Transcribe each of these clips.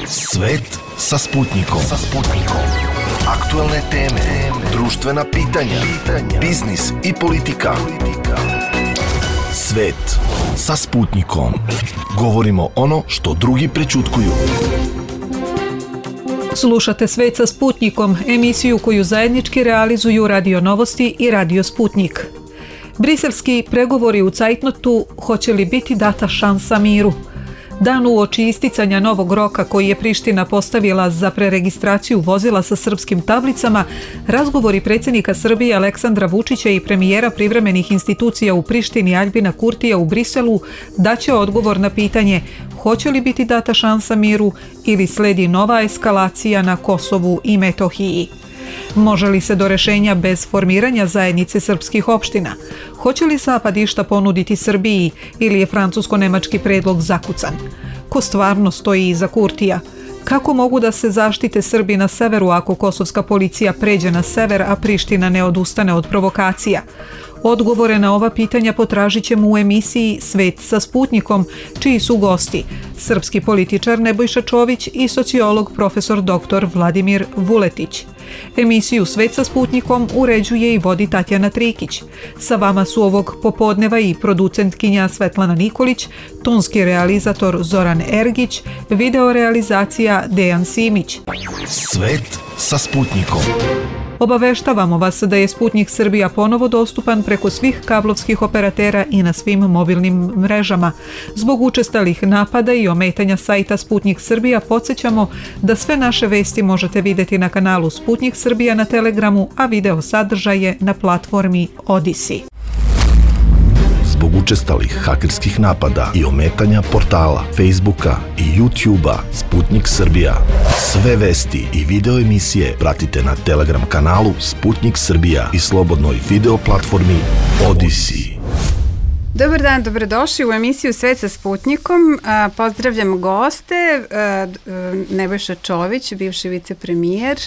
Svet sa Sputnikom. Aktuelne teme, društvena pitanja, biznis i politika. Svet sa Sputnikom. Govorimo ono što drugi prećutkuju. Slušate Svet sa Sputnikom, emisiju koju zajednički realizuju Radio Novosti i Radio Sputnik. Briselski pregovori u cajtnotu, hoće li biti data šansa miru? Dan uoči isticanja novog roka koji je Priština postavila za preregistraciju vozila sa srpskim tablicama, razgovori predsjednika Srbije Aleksandra Vučića i premijera privremenih institucija u Prištini Aljbina Kurtija u Briselu daće odgovor na pitanje hoće li biti data šansa miru ili sledi nova eskalacija na Kosovu i Metohiji. Može li se do rešenja bez formiranja zajednice srpskih opština? Hoće li Zapad išta ponuditi Srbiji ili je francusko-nemački predlog zakucan? Ko stvarno stoji iza Kurtija? Kako mogu da se zaštite Srbi na severu ako kosovska policija pređe na sever, a Priština ne odustane od provokacija? Odgovore na ova pitanja potražit ćemo u emisiji Svet sa Sputnikom, čiji su gosti srpski političar Nebojša Čović i sociolog profesor dr. Vladimir Vuletić. Emisiju Svet sa Sputnikom uređuje i vodi Tatjana Trikić. Sa vama su ovog popodneva i producentkinja Svetlana Nikolić, tonski realizator Zoran Ergić, video realizacija Dejan Simić. Svet sa Sputnikom. Obaveštavamo vas da je Sputnik Srbija ponovo dostupan preko svih kablovskih operatera i na svim mobilnim mrežama. Zbog učestalih napada i ometanja sajta Sputnik Srbija podsjećamo da sve naše vesti možete vidjeti na kanalu Sputnik Srbija na Telegramu, a video sadržaje na platformi Odisi. Zbog učestalih hakerskih napada i ometanja portala, Facebooka i YouTubea Sputnik Srbija. Sve vesti i video emisije pratite na Telegram kanalu Sputnik Srbija i slobodnoj video platformi Odisi. Dobar dan, dobrodošli u emisiju Svet sa Sputnikom. Pozdravljam goste, Nebojša Čović, bivši vicepremijer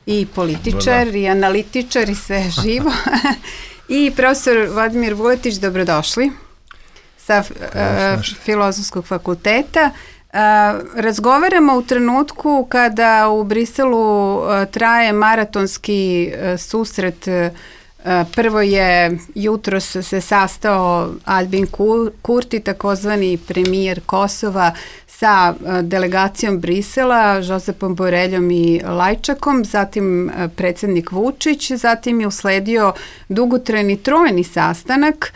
i političar i analitičar i sve živo. I profesor Vladimir Vuletić, dobrodošli sa Filozofskog fakulteta. Razgovaramo u trenutku kada u Briselu traje maratonski susret. Prvo je jutros se sastao Aljbin Kurti, takozvani premijer Kosova, sa delegacijom Brisela, Josepom Boreljom i Lajčakom, zatim predsjednik Vučić, zatim je usledio dugotrajni trojni sastanak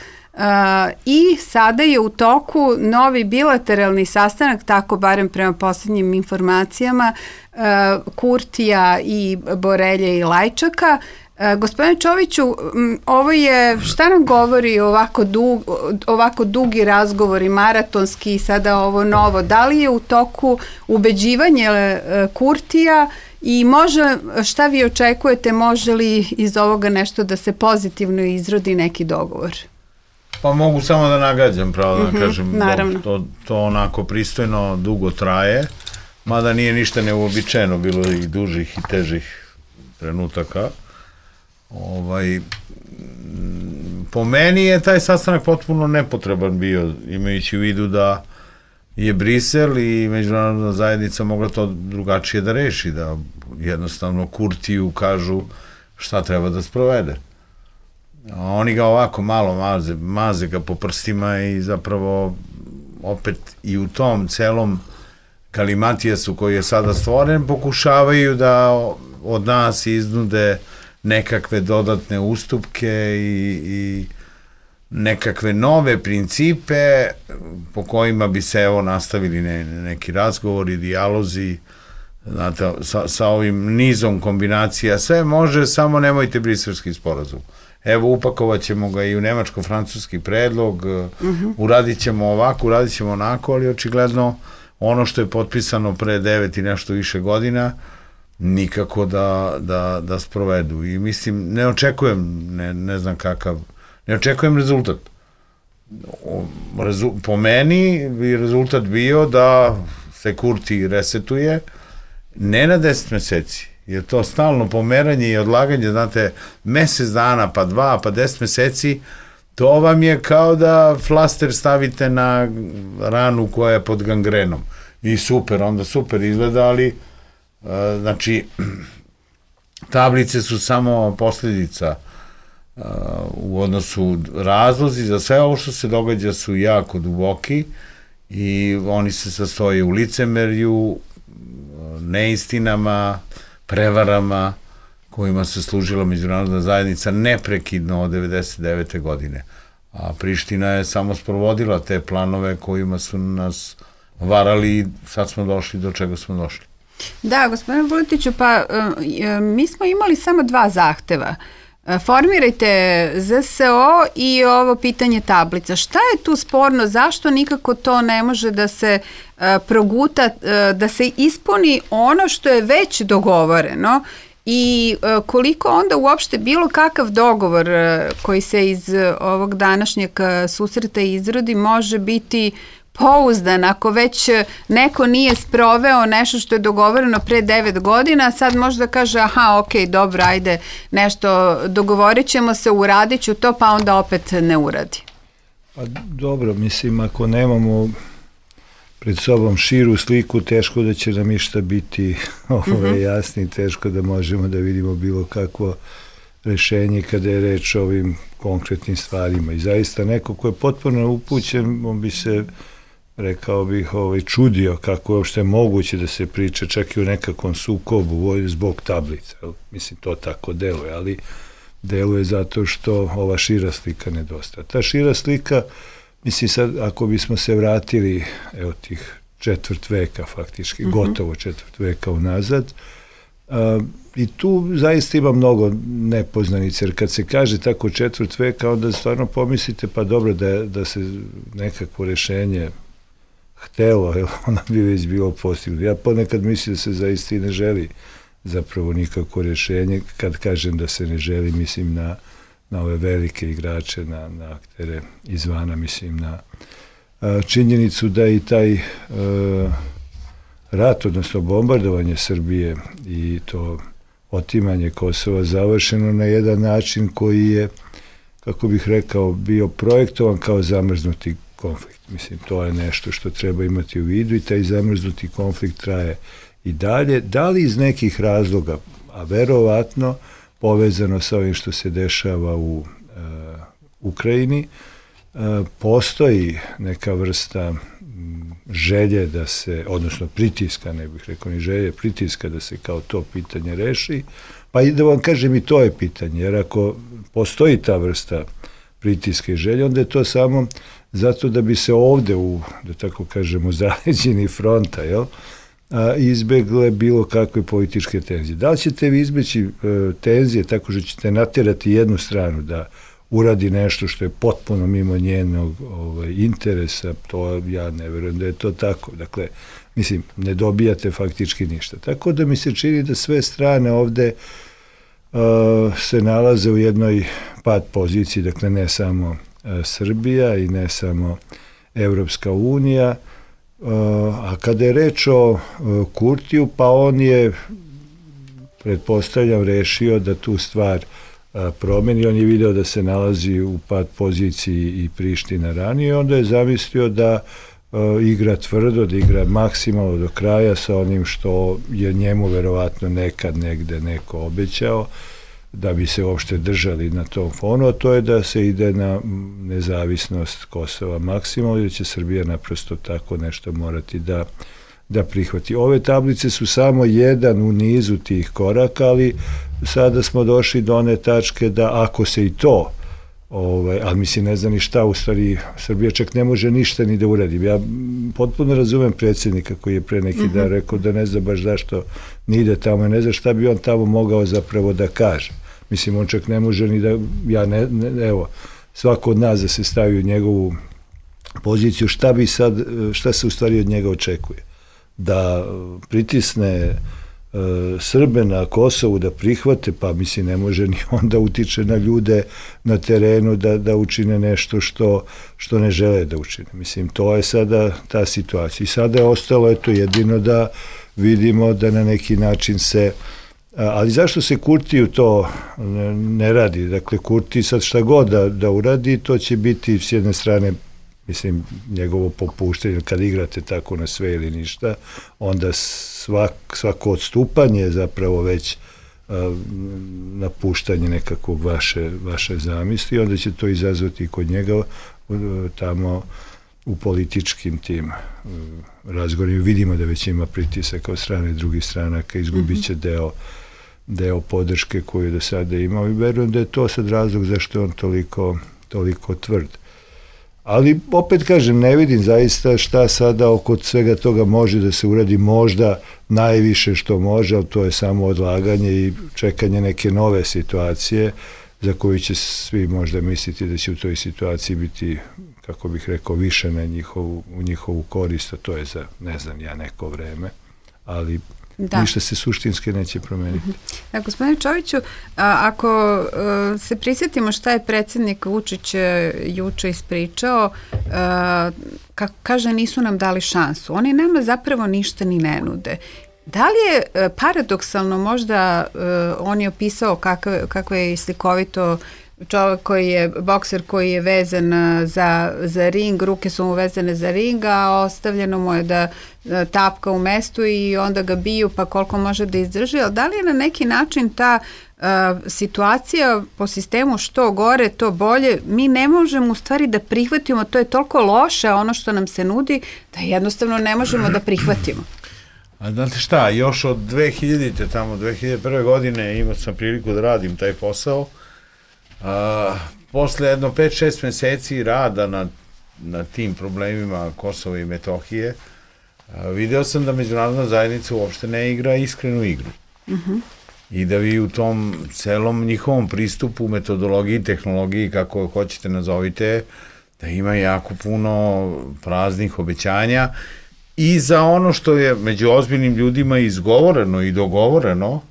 i sada je u toku novi bilateralni sastanak, tako barem prema posljednjim informacijama, Kurtija i Borelje i Lajčaka. Gospodine Čoviću, ovo je, šta nam govori ovako dugi razgovori, maratonski i sada ovo novo? Da li je u toku ubeđivanje Kurtija i šta vi očekujete, može li iz ovoga nešto da se pozitivno izrodi neki dogovor? Pa mogu samo da nagađam, pravo da kažem, to onako pristojno dugo traje, mada nije ništa neuobičajeno, bilo i dužih i težih trenutaka. Po meni je taj sastanak potpuno nepotreban bio, imajući u vidu da je Brisel i međunarodna zajednica mogla to drugačije da reši, da jednostavno Kurtiju kažu šta treba da sprovede. Oni ga ovako malo maze ga po prstima i zapravo opet i u tom celom kalimatijasu koji je sada stvoren pokušavaju da od nas iznude nekakve dodatne ustupke i nekakve nove principe po kojima bi se nastavili neki razgovori, dijalozi, znate, sa ovim nizom kombinacija. Sve može, samo nemojte briselski sporazum. Evo, upakovat ćemo ga i u nemačko-francuski predlog, uradit ćemo ovako, uradit ćemo onako, ali očigledno ono što je potpisano pre 9 i nešto više godina nikako da sprovedu. I mislim, ne očekujem, ne znam kakav, ne očekujem rezultat. Po meni bi rezultat bio da se Kurti resetuje, ne na 10 meseci, jer to stalno pomeranje i odlaganje, znate, mesec dana, pa 2, pa 10 meseci, to vam je kao da flaster stavite na ranu koja je pod gangrenom. i onda super izgleda, ali znači tablice su samo posljedica u odnosu, razlozi za sve ovo što se događa su jako duboki i oni se sastoje u licemerju, neistinama, prevarama kojima se služila međunarodna zajednica neprekidno od 1999. godine. A Priština je samo sprovodila te planove kojima su nas varali i sad smo došli do čega smo došli. Da, gospodine Vuletiću, pa mi smo imali samo 2 zahteva. Formirajte ZSO i ovo pitanje tablica. Šta je tu sporno? Zašto nikako to ne može da se proguta, da se ispuni ono što je već dogovoreno i koliko onda uopšte bilo kakav dogovor koji se iz ovog današnjeg susreta izrodi može biti pouzdan ako već neko nije sproveo nešto što je dogovoreno pre 9 godina, sad možda kaže aha, ok, dobro, ajde, nešto dogovorit ćemo se, uradit ću to, pa onda opet ne uradi. Pa dobro, mislim, ako nemamo pred sobom širu sliku, teško da će nam išta biti jasni, teško da možemo da vidimo bilo kakvo rešenje kada je reč o ovim konkretnim stvarima. I zaista neko ko je potpuno upućen, on bi se, rekao bih, čudio kako je uopšte moguće da se priča čak i o nekakvom sukobu zbog tablica. Mislim, to tako deluje, ali deluje zato što ova šira slika nedostaje. Ta šira slika, mislim sad, ako bismo se vratili, evo tih 4 veka faktički, gotovo 4 veka unazad, i tu zaista ima mnogo nepoznanica, jer kad se kaže tako 4 veka, onda stvarno pomislite, pa dobro, da se nekakvo rešenje htelo, ono bi već bilo postignuto. Ja ponekad mislim da se zaista i ne želi zapravo nikako rešenje. Kad kažem da se ne želi, mislim na ove velike igrače, na aktere izvana, mislim na činjenicu da i taj rat, odnosno bombardovanje Srbije i to otimanje Kosova završeno na jedan način koji je, kako bih rekao, bio projektovan kao zamrznuti konflikt. Mislim, to je nešto što treba imati u vidu i taj zamrznuti konflikt traje i dalje. Da li iz nekih razloga, a verovatno povezano sa ovim što se dešava u Ukrajini, postoji neka vrsta želje da se, odnosno pritiska, ne bih rekao ni želje, pritiska da se kao to pitanje reši, pa i da vam kažem i to je pitanje, jer ako postoji ta vrsta pritiska i želje, onda je to samo zato da bi se ovde da tako kažemo, zaleđini fronta, izbegle bilo kakve političke tenzije. Da li ćete vi izbeći tenzije tako što ćete natjerati jednu stranu da uradi nešto što je potpuno mimo njenog interesa, to ja ne verujem da je to tako. Dakle, mislim, ne dobijate faktički ništa. Tako da mi se čini da sve strane ovde se nalaze u jednoj pad poziciji, dakle ne samo Srbija i ne samo Evropska unija, a kada je reč o Kurtiju, pa on je, pretpostavljam, rešio da tu stvar promeni. On je video da se nalazi u pad poziciji i Priština ranije, onda je zamislio da igra tvrdo, da igra maksimalno do kraja sa onim što je njemu verovatno nekad negde neko obećao, da bi se uopšte držali na tom fonu, a to je da se ide na nezavisnost Kosova maksimalno i da će Srbija naprosto tako nešto morati da prihvati. Ove tablice su samo jedan u nizu tih koraka, ali sada smo došli do one tačke da ako se i to, ali mislim ne zna ni šta, u stvari Srbija čak ne može ništa ni da uradi. Ja potpuno razumem predsjednika koji je pre neki dan rekao da ne zna baš zašto ni ide tamo, ne zna šta bi on tamo mogao zapravo da kaže. Mislim, on čak ne može ni da, evo, svako od nas da se stavi u njegovu poziciju, šta se u stvari od njega očekuje? Da pritisne Srbe na Kosovu da prihvate, pa mislim ne može ni onda utiče na ljude na terenu da učine nešto što ne žele da učine. Mislim, to je sada ta situacija. I sada je ostalo jedino da vidimo da na neki način se, ali zašto se Kurtiju to ne radi? Dakle, Kurti sad šta god da uradi, to će biti s jedne strane mislim, njegovo popuštanje, kad igrate tako na sve ili ništa, onda svako odstupanje je zapravo već napuštanje nekakvog vaše zamisli i onda će to izazvati kod njega tamo u političkim tim razgovorima. Vidimo da već ima pritisak od strane drugih stranaka, izgubit će deo podrške koju do sada imao i verujem da je to sad razlog zašto je on toliko tvrd. Ali opet kažem, ne vidim zaista šta sada oko svega toga može da se uradi, možda najviše što može, ali to je samo odlaganje i čekanje neke nove situacije za koju će svi možda misliti da će u toj situaciji biti, kako bih rekao, više u njihovu korist, a to je za, ne znam ja, neko vreme, ali ništa se suštinski neće promeniti. Da, gospodine Čoviću, ako se prisjetimo šta je predsjednik Vučić juče ispričao, kako kaže, nisu nam dali šansu. Oni nama zapravo ništa ni ne nude. Da li je paradoksalno možda on je opisao kako je slikovito čovjek koji je bokser, koji je vezan za ring, ruke su mu vezane za ring, a ostavljeno mu je da tapka u mestu i onda ga biju pa koliko može da izdrži, ali da li je na neki način ta situacija po sistemu što gore, to bolje, mi ne možemo u stvari da prihvatimo, to je toliko loše ono što nam se nudi, da jednostavno ne možemo da prihvatimo. A znate šta, još od 2000. tamo 2001. godine imao sam priliku da radim taj posao. Posle jedno 5-6 meseci rada na tim problemima Kosova i Metohije, video sam da međunarodna zajednica uopšte ne igra iskrenu igru. I da vi u tom celom njihovom pristupu, metodologiji, tehnologiji, kako hoćete nazovite, da ima jako puno praznih obećanja i za ono što je među ozbiljnim ljudima izgovoreno i dogovoreno,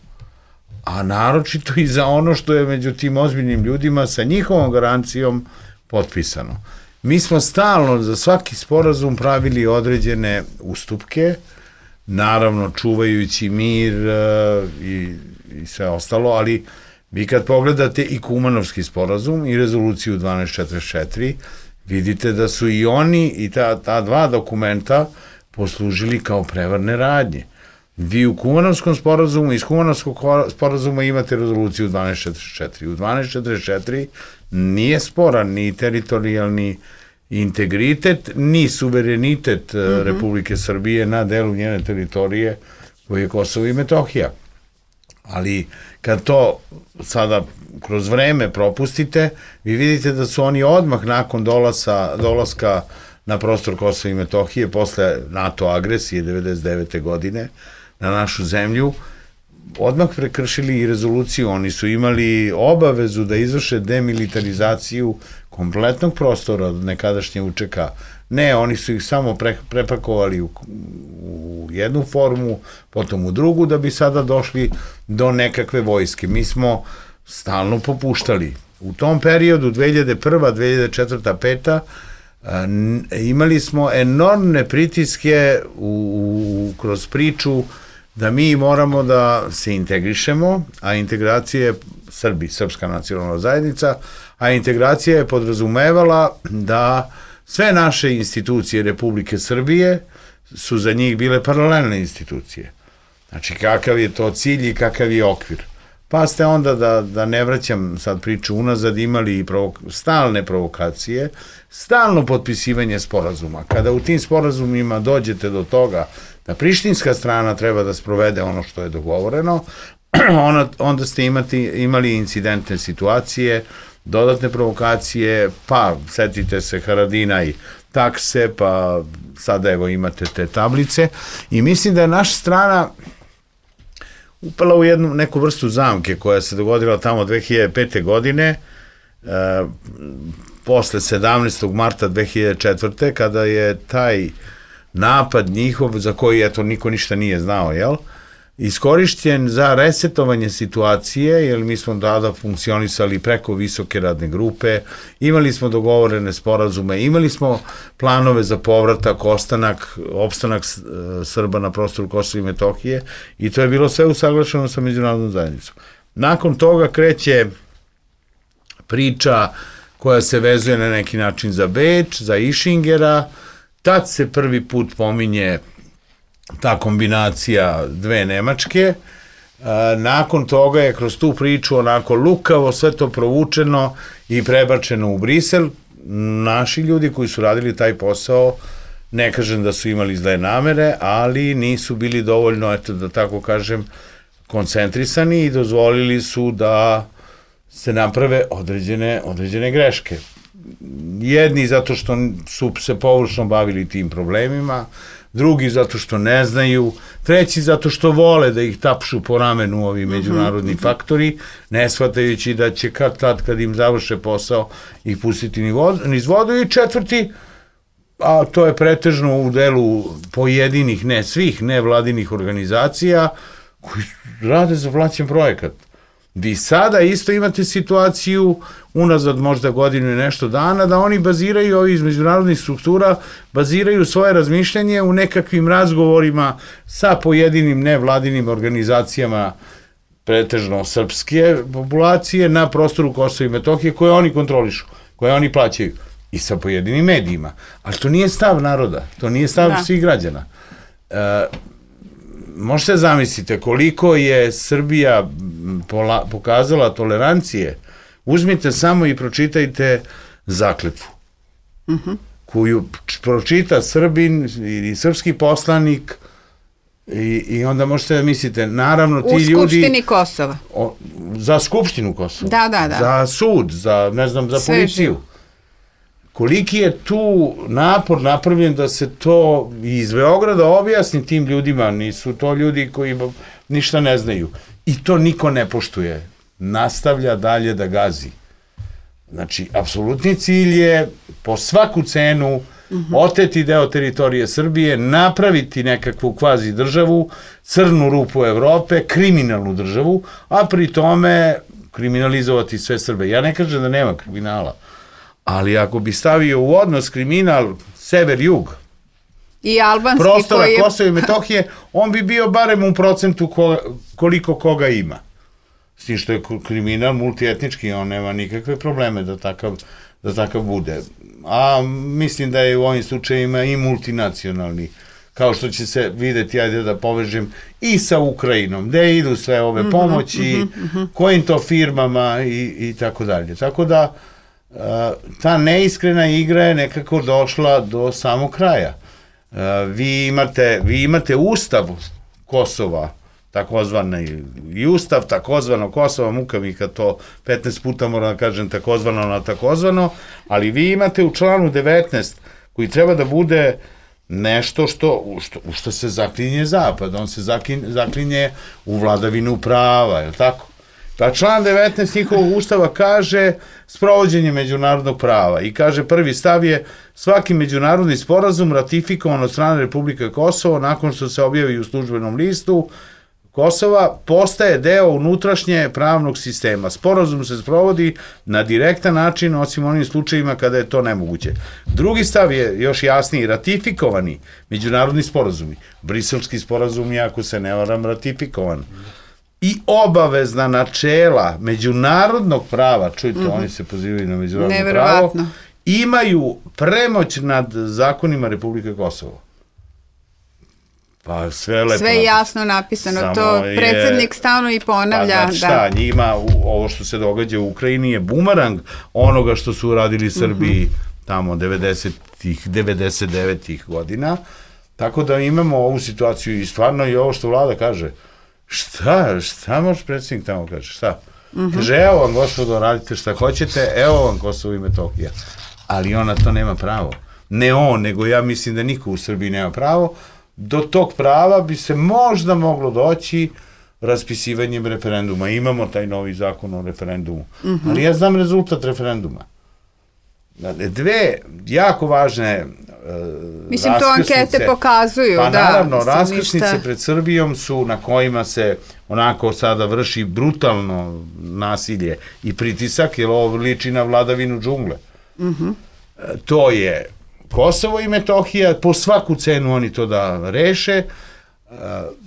a naročito i za ono što je među tim ozbiljnim ljudima sa njihovom garancijom potpisano. Mi smo stalno za svaki sporazum pravili određene ustupke, naravno čuvajući mir i sve ostalo, ali vi kad pogledate i Kumanovski sporazum i rezoluciju 1244, vidite da su i oni i ta dva dokumenta poslužili kao prevarne radnje. Vi u Kumanovskom sporazumu, iz Kumanovskog sporazuma imate rezoluciju 1244. U 1244 nije sporan ni teritorijalni integritet, ni suverenitet Republike Srbije na delu njene teritorije koje je Kosovo i Metohija. Ali kad to sada kroz vreme propustite, vi vidite da su oni odmah nakon dolaska na prostor Kosova i Metohije, posle NATO agresije 1999. godine, na našu zemlju, odmah prekršili i rezoluciju. Oni su imali obavezu da izvrše demilitarizaciju kompletnog prostora od nekadašnje UČK. Ne, oni su ih samo prepakovali u jednu formu, potom u drugu, da bi sada došli do nekakve vojske. Mi smo stalno popuštali. U tom periodu, 2001. 2004. 2005. Imali smo enormne pritiske kroz priču da mi moramo da se integrišemo, a integracija je srpska nacionalna zajednica, a integracija je podrazumevala da sve naše institucije Republike Srbije su za njih bile paralelne institucije. Znači, kakav je to cilj i kakav je okvir. Pa ste onda, da ne vraćam sad priču unazad, imali i stalne provokacije, stalno potpisivanje sporazuma. Kada u tim sporazumima dođete do toga da prištinska strana treba da sprovede ono što je dogovoreno, onda ste imali incidentne situacije, dodatne provokacije, pa setite se Haradinaj takse, pa sada evo imate te tablice i mislim da je naša strana upala u neku vrstu zamke koja se dogodila tamo 2005. godine, posle 17. marta 2004. kada je taj napad njihov, za koji eto niko ništa nije znao, jel? Iskorišćen za resetovanje situacije, jer mi smo tada funkcionisali preko visoke radne grupe, imali smo dogovorene sporazume, imali smo planove za povratak, opstanak Srba na prostoru Kosova i Metohije i to je bilo sve usaglašeno sa međunarodnom zajednicom. Nakon toga kreće priča koja se vezuje na neki način za Beč, za Išingera. Tad se prvi put pominje ta kombinacija dve Nemačke. Nakon toga je kroz tu priču onako lukavo sve to provučeno i prebačeno u Brisel. Naši ljudi koji su radili taj posao, ne kažem da su imali zle namere, ali nisu bili dovoljno, eto da tako kažem, koncentrisani i dozvolili su da se naprave određene greške. Jedni zato što su se površno bavili tim problemima, drugi zato što ne znaju, treći zato što vole da ih tapšu po ramenu ovi međunarodni faktori, ne shvatajući da će kad im završe posao ih pustiti niz vodu, i četvrti, a to je pretežno u delu pojedinih, ne svih, nevladinih organizacija koji rade za plaćen projekat. Vi sada isto imate situaciju, unazad možda godinu i nešto dana, da oni baziraju, ovi iz međunarodnih struktura, baziraju svoje razmišljanje u nekakvim razgovorima sa pojedinim nevladinim organizacijama, pretežno srpske populacije, na prostoru Kosova i Metohije, koje oni kontrolišu, koje oni plaćaju, i sa pojedinim medijima. Ali to nije stav naroda, to nije stav svih građana. Možete zamislite koliko je Srbija pokazala tolerancije. Uzmite samo i pročitajte zakletvu, koju pročita Srbin ili srpski poslanik, i onda možete da mislite, naravno ti ljudi... U Skupštini Kosova. Za Skupštinu Kosova. Da. Za sud, za, ne znam, za policiju. Koliki je tu napor napravljen da se to iz Beograda objasni tim ljudima, nisu to ljudi koji ništa ne znaju. I to niko ne poštuje. Nastavlja dalje da gazi. Znači, apsolutni cilj je po svaku cenu oteti deo teritorije Srbije, napraviti nekakvu kvazi državu, crnu rupu Evrope, kriminalnu državu, a pri tome kriminalizovati sve Srbe. Ja ne kažem da nema kriminala, ali ako bi stavio u odnos kriminal sever-jug, i albanski prostora Kosova i Metohije, on bi bio barem u procentu koliko koga ima. S tim što je kriminal multietnički, on nema nikakve probleme da takav bude. A mislim da je u ovim slučajima i multinacionalni, kao što će se videti, ajde da povežem, i sa Ukrajinom, gde idu sve ove pomoći, kojim to firmama i tako dalje. Tako da ta neiskrena igra je nekako došla do samog kraja. Vi imate ustav Kosova, takozvani, i ustav takozvano Kosova, muka mi kad to 15 puta moram da kažem takozvano na takozvano, ali vi imate u članu 19 koji treba da bude nešto u što se zaklinje Zapad, on se zaklinje u vladavinu prava, je li tako? Pa član 19 njihovog ustava kaže sprovođenje međunarodnog prava i kaže prvi stav je svaki međunarodni sporazum ratifikovan od strane Republike Kosovo nakon što se objavi u službenom listu Kosova postaje deo unutrašnje pravnog sistema. Sporazum se sprovodi na direktan način, osim onim slučajima kada je to nemoguće. Drugi stav je još jasniji, ratifikovani međunarodni sporazumi. Briselski sporazum je, ako se ne varam, ratifikovan. I obavezna načela međunarodnog prava, čujte, oni se pozivaju na međunarodno pravo, imaju premoć nad zakonima Republike Kosovo. Pa sve lepo. Sve jasno napisano, to predsjednik stalno i ponavlja. Pa znači šta, njima ovo što se događa u Ukrajini je bumerang onoga što su uradili Srbiji tamo 90-ih, 99-ih godina, tako da imamo ovu situaciju i stvarno i ovo što vlada kaže, šta može predsjednik tamo kaže, šta? Kaže, evo vam gospodo, radite šta hoćete, evo vam Kosovo i Metohija, ali ona to nema pravo. Ne on, nego ja mislim da niko u Srbiji nema pravo. Do tog prava bi se možda moglo doći raspisivanjem referenduma. Imamo taj novi zakon o referendumu. Ali ja znam rezultat referenduma. Dve jako važne mislim, to ankete pokazuju. Pa naravno, raskrsnice pred Srbijom su na kojima se onako sada vrši brutalno nasilje i pritisak, jer ovo liči na vladavinu džungle. To je Kosovo i Metohija, po svaku cenu oni to da reše,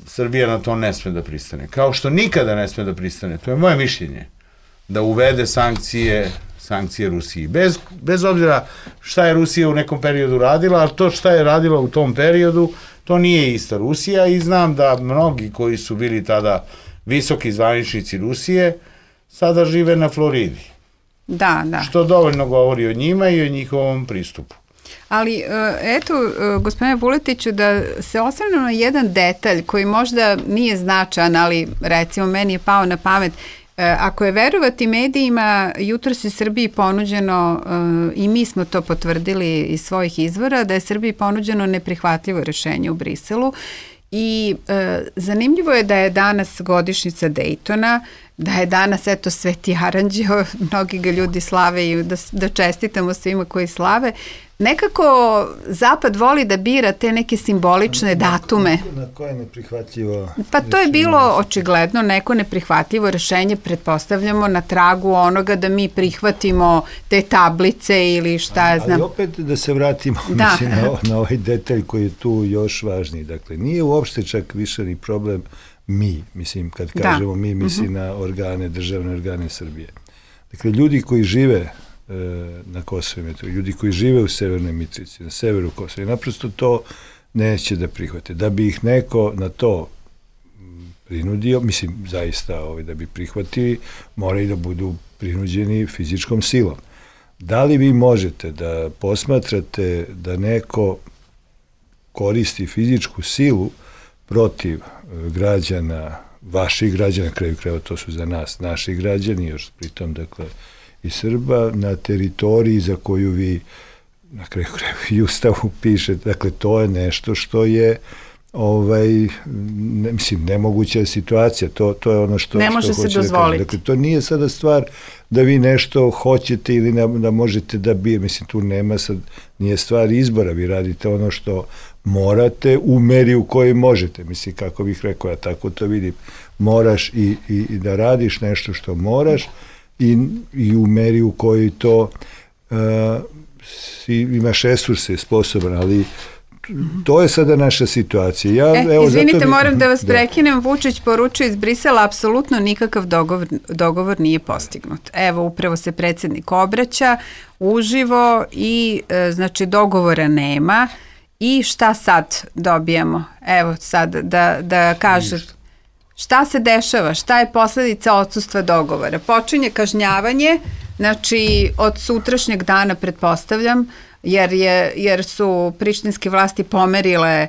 Srbija na to ne sme da pristane. Kao što nikada ne sme da pristane, to je moje mišljenje, da uvede sankcije sankcije Rusiji. Bez obzira šta je Rusija u nekom periodu radila, ali to šta je radila u tom periodu, to nije ista Rusija i znam da mnogi koji su bili tada visoki zvaničnici Rusije sada žive na Floridi. Da, da. Što dovoljno govori o njima i o njihovom pristupu. Ali, eto, gospodine Vuletiću, da se osvrnemo na jedan detalj koji možda nije značajan, ali recimo meni je pao na pamet. Ako je verovati medijima, jutros je Srbiji ponuđeno, i mi smo to potvrdili iz svojih izvora, da je Srbiji ponuđeno neprihvatljivo rešenje u Briselu i zanimljivo je da je danas godišnjica Dejtona, da je danas, eto, Sveti Aranđeo, mnogi ga ljudi slave i da čestitamo svima koji slave. Nekako Zapad voli da bira te neke simbolične datume. Na koje neprihvatljivo? Pa to je bilo očigledno neko neprihvatljivo rešenje, pretpostavljamo na tragu onoga da mi prihvatimo te tablice ili šta ja znam. Ali opet da se vratimo mislim, na ovaj detalj koji je tu još važniji. Dakle, nije uopšte čak više ni problem mi, mislim, kad kažemo mi, mislim na organe, državne organe Srbije. Dakle, ljudi koji žive na Kosovo i Metohiji, ljudi koji žive u Severnoj Mitrovici, na severu Kosova, naprosto to neće da prihvate. Da bi ih neko na to prinudio, mislim, zaista da bi prihvatili, moraju da budu prinuđeni fizičkom silom. Da li vi možete da posmatrate da neko koristi fizičku silu protiv građana, vaših građana, na kraju krajeva to su za nas naši građani, još pritom, dakle, i Srba, na teritoriji za koju vi, na kraju krajeva i Ustavu pišete, dakle, to je nešto što je mislim, nemoguća situacija, to je ono što ne može se dozvoliti. Dakle, to nije sada stvar da vi nešto hoćete ili da možete da bije, mislim, tu nema sad, nije stvar izbora, vi radite ono što morate u meri u kojoj možete, mislim, kako bih rekao, ja tako to vidim, moraš i da radiš nešto što moraš i u meri u kojoj to imaš resurse, sposoban, ali to je sada naša situacija. Izvinite, moram da vas prekinem. Vučić poručuje iz Brisela, apsolutno nikakav dogovor nije postignut. Evo, upravo se predsjednik obraća uživo i znači dogovora nema. I šta sad dobijamo? Evo sad da kaže šta se dešava, šta je posledica odsustva dogovora. Počinje kažnjavanje, znači od sutrašnjeg dana pretpostavljam, jer su prištinske vlasti pomerile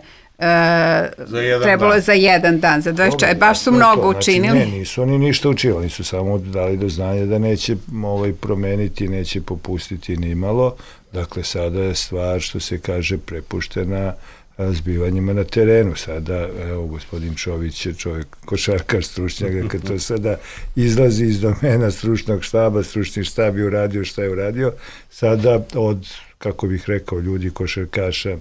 trebalo je za jedan dan, za 24, baš su mnogo učinili. Ne, nisu oni ništa učinili, oni su samo dali do znanja da neće promeniti, neće popustiti ni malo. Dakle, sada je stvar, što se kaže, prepuštena zbivanjima na terenu. Sada, evo, gospodin Čović je čovjek, košarkar, stručnjak, kad to sada izlazi iz domena stručnog štaba, stručni štab je uradio šta je uradio, sada od, kako bih rekao, ljudi košarkaša,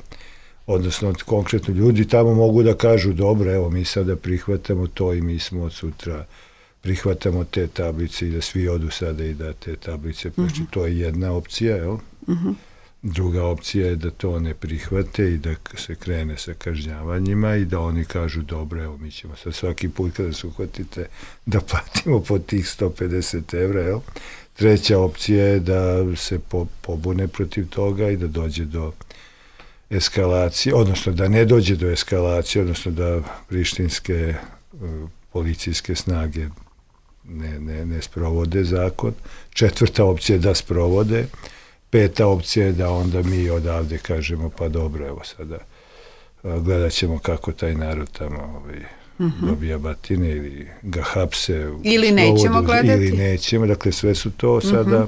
odnosno konkretno ljudi tamo mogu da kažu, dobro, evo, mi sada prihvatamo to i mi smo od sutra prihvatamo te tablice i da svi odu sada i da te tablice, znači to je jedna opcija, jel? Druga opcija je da to ne prihvate i da se krene sa kažnjavanjima i da oni kažu, dobro, evo, mi ćemo sad svaki put kada se uhvatite da platimo po tih 150 evra, jel? Treća opcija je da se pobune protiv toga i da dođe do eskalacije, odnosno da ne dođe do eskalacije, odnosno da prištinske policijske snage ne sprovode zakon. Četvrta opcija je da sprovode. Peta opcija je da onda mi odavde kažemo, pa dobro, evo sada gledat ćemo kako taj narod tamo dobija batine ili ga hapse. Ili nećemo gledati. Ili nećemo, dakle sve su to sada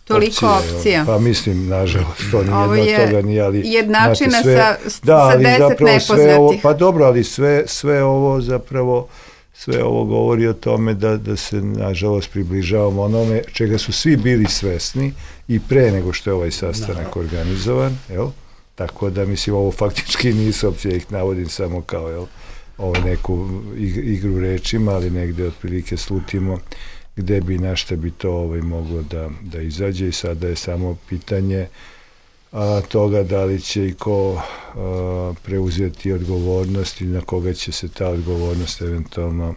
toliko opcija. Pa mislim, nažalost, to nije jedno od toga nije, ali... Jednačina sa 10 nepoznatih. Pa dobro, ali sve ovo zapravo, sve ovo govori o tome da se, nažalost, približavamo onome čega su svi bili svesni i pre nego što je ovaj sastanak organizovan, jel? Tako da, mislim, ovo faktički nisu opcije, ih navodim samo kao, jel, neku igru rečima, ali negde otprilike slutimo gde bi, na šta bi to moglo da izađe i sada je samo pitanje toga da li će i ko preuzeti odgovornost i na koga će se ta odgovornost eventualno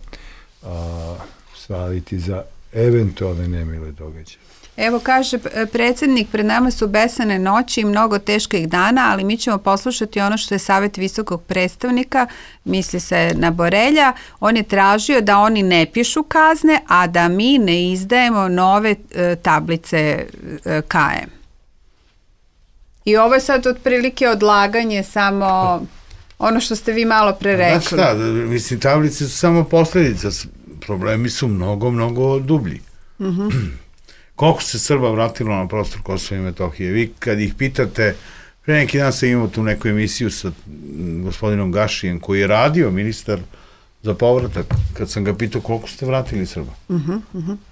svaliti za eventualne nemile događaje. Evo kaže predsjednik, pred nama su besane noći i mnogo teških dana, ali mi ćemo poslušati ono što je savjet visokog predstavnika, misli se na Borelja, on je tražio da oni ne pišu kazne, a da mi ne izdajemo nove tablice KM. I ovo je sad otprilike odlaganje samo ono što ste vi malo pre rekli. Šta, mislim, tablice su samo posljedica, problemi su mnogo, mnogo dublji. Koliko se Srba vratilo na prostor Kosova i Metohije? Vi kad ih pitate, pre neki dan sam imao tu neku emisiju sa gospodinom Gašijem, koji je radio ministar za povratak, kad sam ga pitao koliko ste vratili Srba.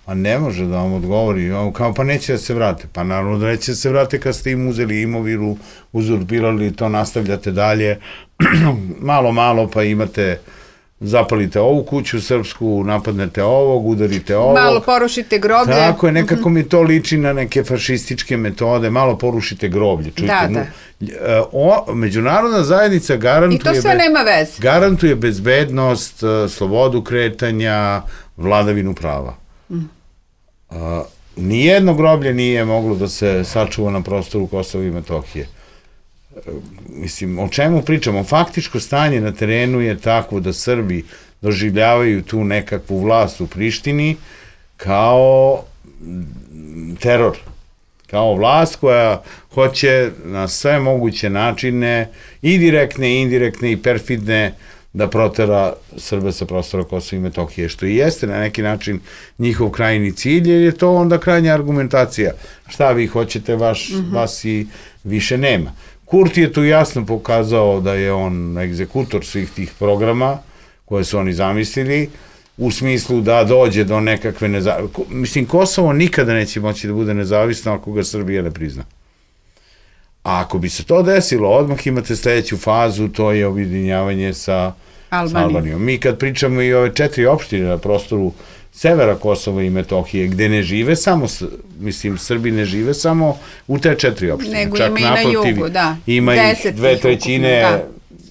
A ne može da vam odgovori, kao pa neće da se vrate. Pa naravno da neće da se vrate kad ste im uzeli imovinu, uzurpirali, to nastavljate dalje, malo pa imate, zapalite ovu kuću srpsku, napadnete ovog, udarite ovog. Malo porušite groblje. Tako je, nekako mi to liči na neke fašističke metode, malo porušite groblje. Čujte, međunarodna zajednica garantuje... I to sve nema veze. Garantuje bezbednost, slobodu kretanja, vladavinu prava. Nijedno groblje nije moglo da se sačuva na prostoru Kosova i Metohije. Mislim, o čemu pričamo? Faktičko stanje na terenu je takvo da Srbi doživljavaju tu nekakvu vlast u Prištini kao teror, kao vlast koja hoće na sve moguće načine, i direktne, i indirektne, i perfidne, da protera Srbe sa prostora Kosova i Metohije, što i jeste na neki način njihov krajni cilj, jer je to onda krajnja argumentacija. Šta vi hoćete, vas i više nema. Kurti je tu jasno pokazao da je on egzekutor svih tih programa koje su oni zamislili, u smislu da dođe do nekakve nezavisnosti. Mislim, Kosovo nikada neće moći da bude nezavisno ako ga Srbija ne prizna. A ako bi se to desilo, odmah imate sledeću fazu, to je objedinjavanje sa Albanijom. Mi kad pričamo i ove 4 opštine na prostoru severa Kosova i Metohije, gde ne žive samo, mislim, Srbi ne žive samo u te 4 opštine. Nego ima i na jugu, da. Ima ih 2/3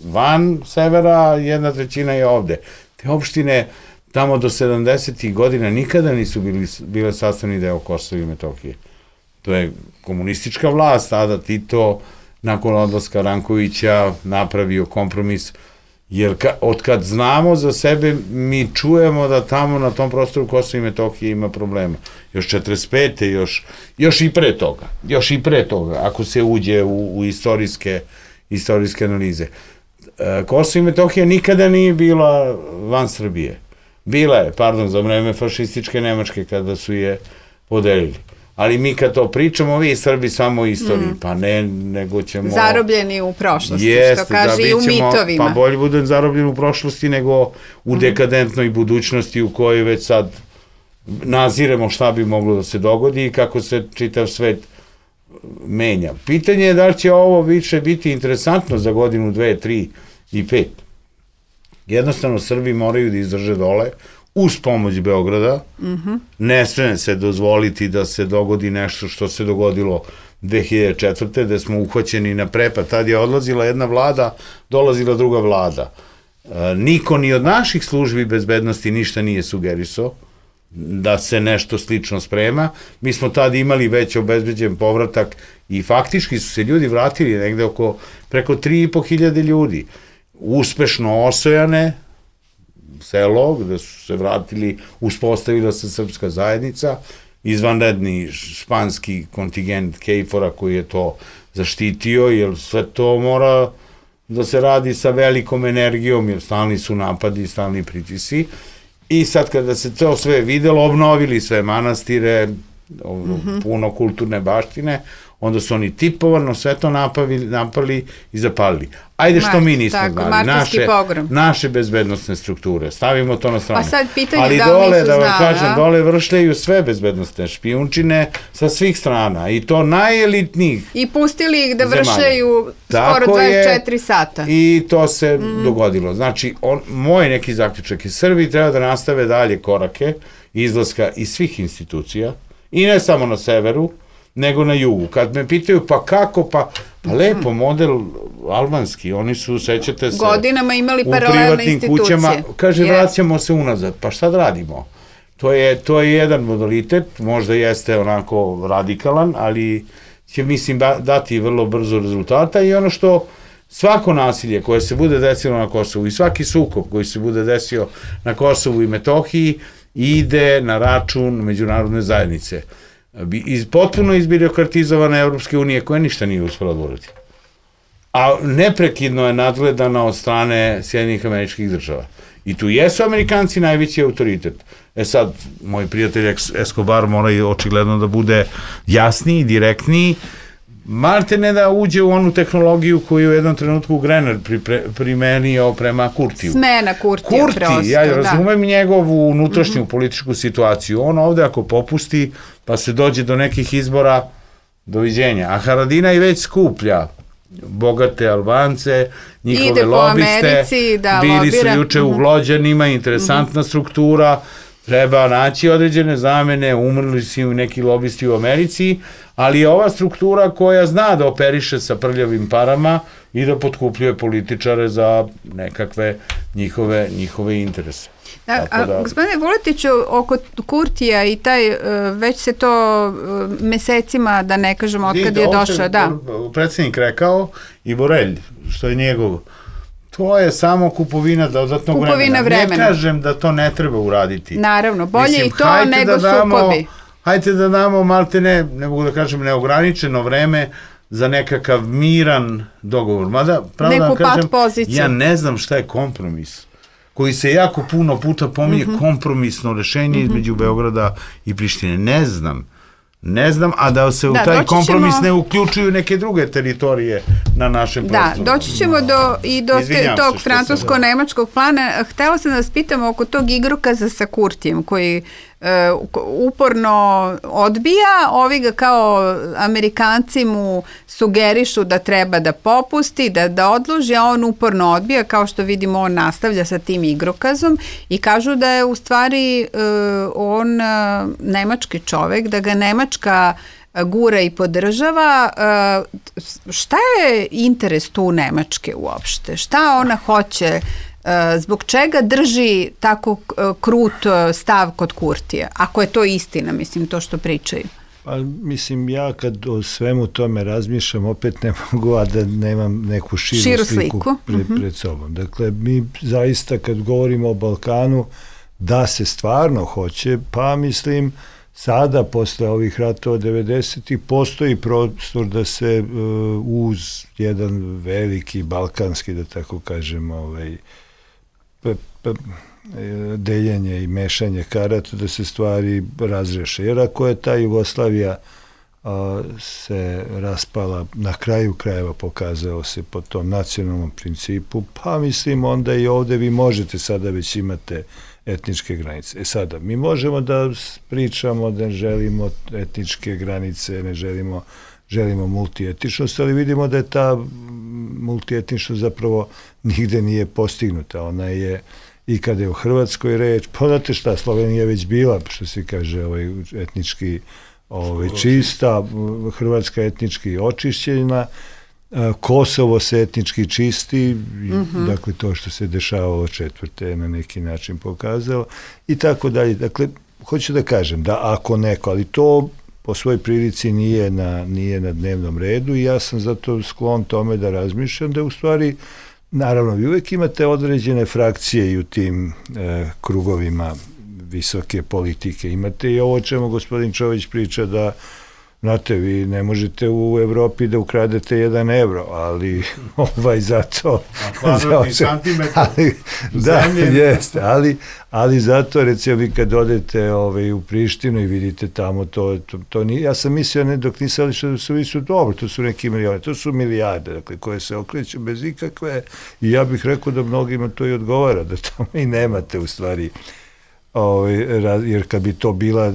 van severa, 1/3 je ovde. Te opštine tamo do 70. godina nikada nisu bile sastavni deo Kosova i Metohije. To je komunistička vlast, tada Tito, nakon odlaska Rankovića, napravio kompromis, jer od kad znamo za sebe, mi čujemo da tamo na tom prostoru Kosova i Metohije ima problema. Još 45. još i pre toga, ako se uđe u istorijske analize. Kosovo i Metohija nikada nije bila van Srbije. Bila je, za vreme fašističke Nemačke kada su je podelili. Ali mi kad to pričamo, vi Srbi samo u istoriji, pa ne, nego ćemo... Zarobljeni u prošlosti, što kaže i u mitovima. Pa bolje budem zarobljen u prošlosti nego u dekadentnoj budućnosti u kojoj već sad naziremo šta bi moglo da se dogodi i kako se čitav svet menja. Pitanje je da li će ovo više biti interesantno za godinu, 2, 3 i 5. Jednostavno, Srbi moraju da izdrže dole, uz pomoć Beograda. Ne sme se dozvoliti da se dogodi nešto što se dogodilo 2004. gde smo uhvaćeni na prepad. Tad je odlazila jedna vlada, dolazila druga vlada. Niko ni od naših službi bezbednosti ništa nije sugerisao da se nešto slično sprema. Mi smo tad imali već obezbeđen povratak i faktički su se ljudi vratili negde preko 3.500 ljudi. Uspešno osojane selo, gde su se vratili, uspostavila se srpska zajednica, izvanredni španski kontingent KFOR-a koji je to zaštitio, jer sve to mora da se radi sa velikom energijom, jer stalni su napadi, stalni pritisci. I sad kada se to sve videlo, obnovili sve manastire, puno kulturne baštine, onda su oni tipovano sve to napali i zapalili. Ajde što mi nismo znali, naše bezbednostne strukture, stavimo to na stranu. Pa sad pitanje ali da dole, da vam kažem, dole vršljaju sve bezbednostne špijunčine sa svih strana i to najelitnijih zemalja. I pustili ih da vršljaju skoro 24 sata. I to se dogodilo. Znači, moj neki zaključak je Srbi treba da nastave dalje korake izlaska iz svih institucija i ne samo na severu, nego na jugu. Kad me pitaju, pa kako, pa lepo, model albanski, oni su, sećate se, godinama imali paralelne institucije. Kućama, kaže, vraćamo se unazad, pa šta da radimo? To je jedan modalitet, možda jeste onako radikalan, ali će, mislim, dati vrlo brzo rezultata. I ono što svako nasilje koje se bude desilo na Kosovu i svaki sukob koji se bude desio na Kosovu i Metohiji ide na račun međunarodne zajednice. Potpuno izbirokratizovane Evropske unije koja ništa nije uspela da uradi. A neprekidno je nadgledana od strane Sjedinjenih Američkih Država. I tu jesu Amerikanci najveći autoritet. Sad, moj prijatelj Escobar mora i očigledno da bude jasniji, direktniji, malte ne da uđe u onu tehnologiju koju u jednom trenutku Grener primenio prema Kurtiju. Smena Kurtija prosto. Kurti, ja razumem njegovu unutrašnju političku situaciju. On ovde ako popusti, pa se dođe do nekih izbora, doviđenja. A Haradinaj već skuplja bogate Albance, njihove lobiste, bili su juče u Glođanima, interesantna struktura, treba naći određene zamene, umrli su neki lobisti u Americi, ali je ova struktura koja zna da operiše sa prljavim parama i da potkupljuje političare za nekakve njihove interese. Gospodine Vuletiću, oko Kurtija i taj, već se to mesecima, da ne kažemo otkad je došao, da. Predsjednik rekao i Borelj, što je njegov, to je samo kupovina dodatnog vremena. Ne kažem da to ne treba uraditi. Naravno, bolje i to nego sukobi. Hajde da damo malte ne mogu da kažem neograničeno vreme za nekakav miran dogovor. Mada, pravo da vam kažem, ja ne znam šta je kompromis koji se jako puno puta pominje, kompromisno rešenje između Beograda i Prištine. Ne znam, a da se u taj kompromis ne uključuju neke druge teritorije na našem prostoru. Da, doći ćemo i do tog francusko-nemačkog plana. Htela sam da vas pitam oko tog igrokaza sa Kurtijem, koji uporno odbija, ovi ga kao Amerikanci mu sugerišu da treba da popusti, da odloži, a on uporno odbija, kao što vidimo on nastavlja sa tim igrokazom i kažu da je u stvari on nemački čovek, da ga Nemačka gura i podržava. Šta je interes tu Nemačke uopšte? Šta ona hoće? Zbog čega drži tako krut stav kod Kurtija? Ako je to istina, mislim, to što pričaju. Pa, mislim, ja kad o svemu tome razmišljam, opet ne mogu, a da nemam neku širu sliku pred sobom. Dakle, mi zaista kad govorimo o Balkanu, da se stvarno hoće, pa mislim, sada, posle ovih ratova 90-ih, postoji prostor da se uz jedan veliki balkanski, da tako kažem, deljenje i mešanje karata, da se stvari razreše. Jer ako je ta Jugoslavija se raspala, na kraju krajeva pokazao se po tom nacionalnom principu, pa mislim onda i ovde vi možete, sada već imate etničke granice. Sada, mi možemo da pričamo da ne želimo etničke granice, ne želimo multietničnost, ali vidimo da je ta multietničnost zapravo nigde nije postignuta. Ona je, i kada je u Hrvatskoj reč, pa znate šta, Slovenija je već bila, što se kaže, etnički čista, Hrvatska etnički očišćena, Kosovo se etnički čisti, dakle to što se dešavalo četvrte je na neki način pokazalo i tako dalje. Dakle, hoću da kažem da ako neko, ali to po svojoj prilici nije na dnevnom redu i ja sam zato sklon tome da razmišljam da u stvari, naravno, vi uvek imate određene frakcije i u tim krugovima visoke politike. Imate i ovo o čemu gospodin Čović priča da, znate, vi ne možete u Evropi da ukradete 1 evro, ali zato... Kvadratni santimetar zemlje. Jeste, ali zato, recimo, vi kad odete u Prištinu i vidite tamo, to nije, ja sam mislio, dok nisam što su dobro, to su neki milione, to su milijarde, dakle, koje se okreću bez ikakve, i ja bih rekao da mnogima to i odgovara, da tamo i nemate u stvari, jer kad bi to bila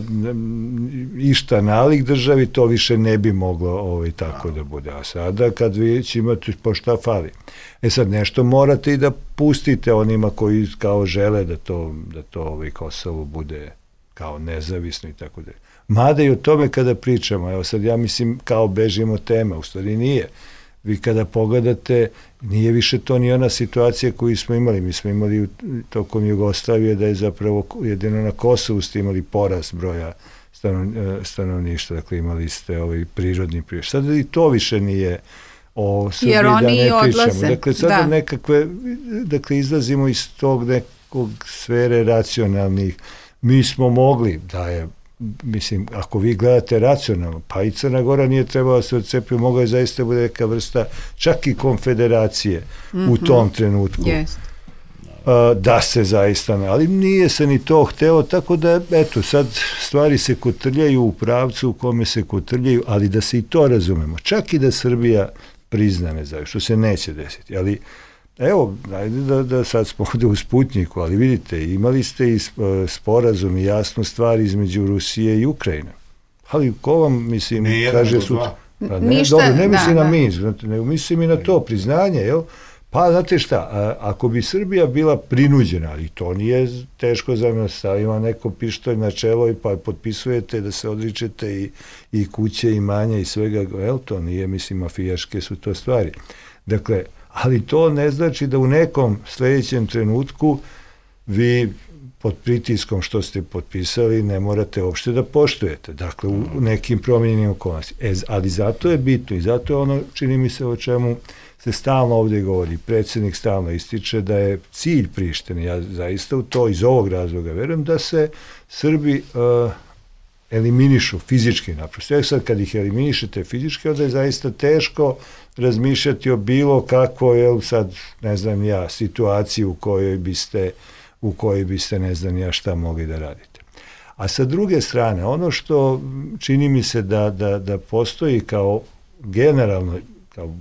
išta nalik državi, to više ne bi moglo tako da bude. A sada kad vi imate, po šta fali? Sad nešto morate i da pustite onima koji kao žele da to Kosovo bude kao nezavisno i tako dalje. Mada i o tome kada pričamo, evo sad ja mislim kao bežimo tema, u stvari nije. vi kada pogledate, nije više to ni ona situacija koju smo imali. Mi smo imali tokom Jugoslavije da je zapravo jedino na Kosovu ste imali porast broja stanovništva, dakle imali ste prirodni priraštaj. Sada i to više nije o Srbiji da ne pričamo. Dakle, sada nekakve, dakle, izlazimo iz tog nekog sfere racionalnih. Mi smo mogli da je, mislim, ako vi gledate racionalno, pa i Crna Gora nije trebala se odcepiti, mogla je zaista bude neka vrsta čak i konfederacije u tom trenutku. Da se zaista, ali nije se ni to hteo, tako da, eto, sad stvari se kotrljaju u pravcu u kome se kotrljaju, ali da se i to razumemo. Čak i da Srbija prizna nezavisnost, što se neće desiti, ali evo, ajde da sad smo ovde u Sputniku, ali vidite, imali ste i sporazum i jasnu stvar između Rusije i Ukrajine. Ali ko vam, mislim, kaže sutra? Pa ne, dobro, ne mislim na mi, nego mislim i na to priznanje, jel? Pa, znate šta, ako bi Srbija bila prinuđena, ali to nije teško za mene, stavima neko pištolj na čelo i pa potpisujete da se odričete i kuće i manja i svega, jel, to nije, mislim, mafijaške su to stvari. Dakle, ali to ne znači da u nekom sljedećem trenutku vi pod pritiskom što ste potpisali ne morate uopšte da poštujete. Dakle, u nekim promijenjenim okolnostima. Ali zato je bitno i zato je ono, čini mi se, o čemu se stalno ovdje govori. Predsjednik stalno ističe da je cilj Prištine, ja zaista u to iz ovog razloga verujem, da se Srbi eliminišu fizički naprosto. Sad kad ih eliminišete fizički, onda je zaista teško razmišljati o bilo kakvoj, sad ne znam ja, situaciji u kojoj biste ne znam ja šta mogli da radite. A sa druge strane, ono što čini mi se da postoji kao generalno, kao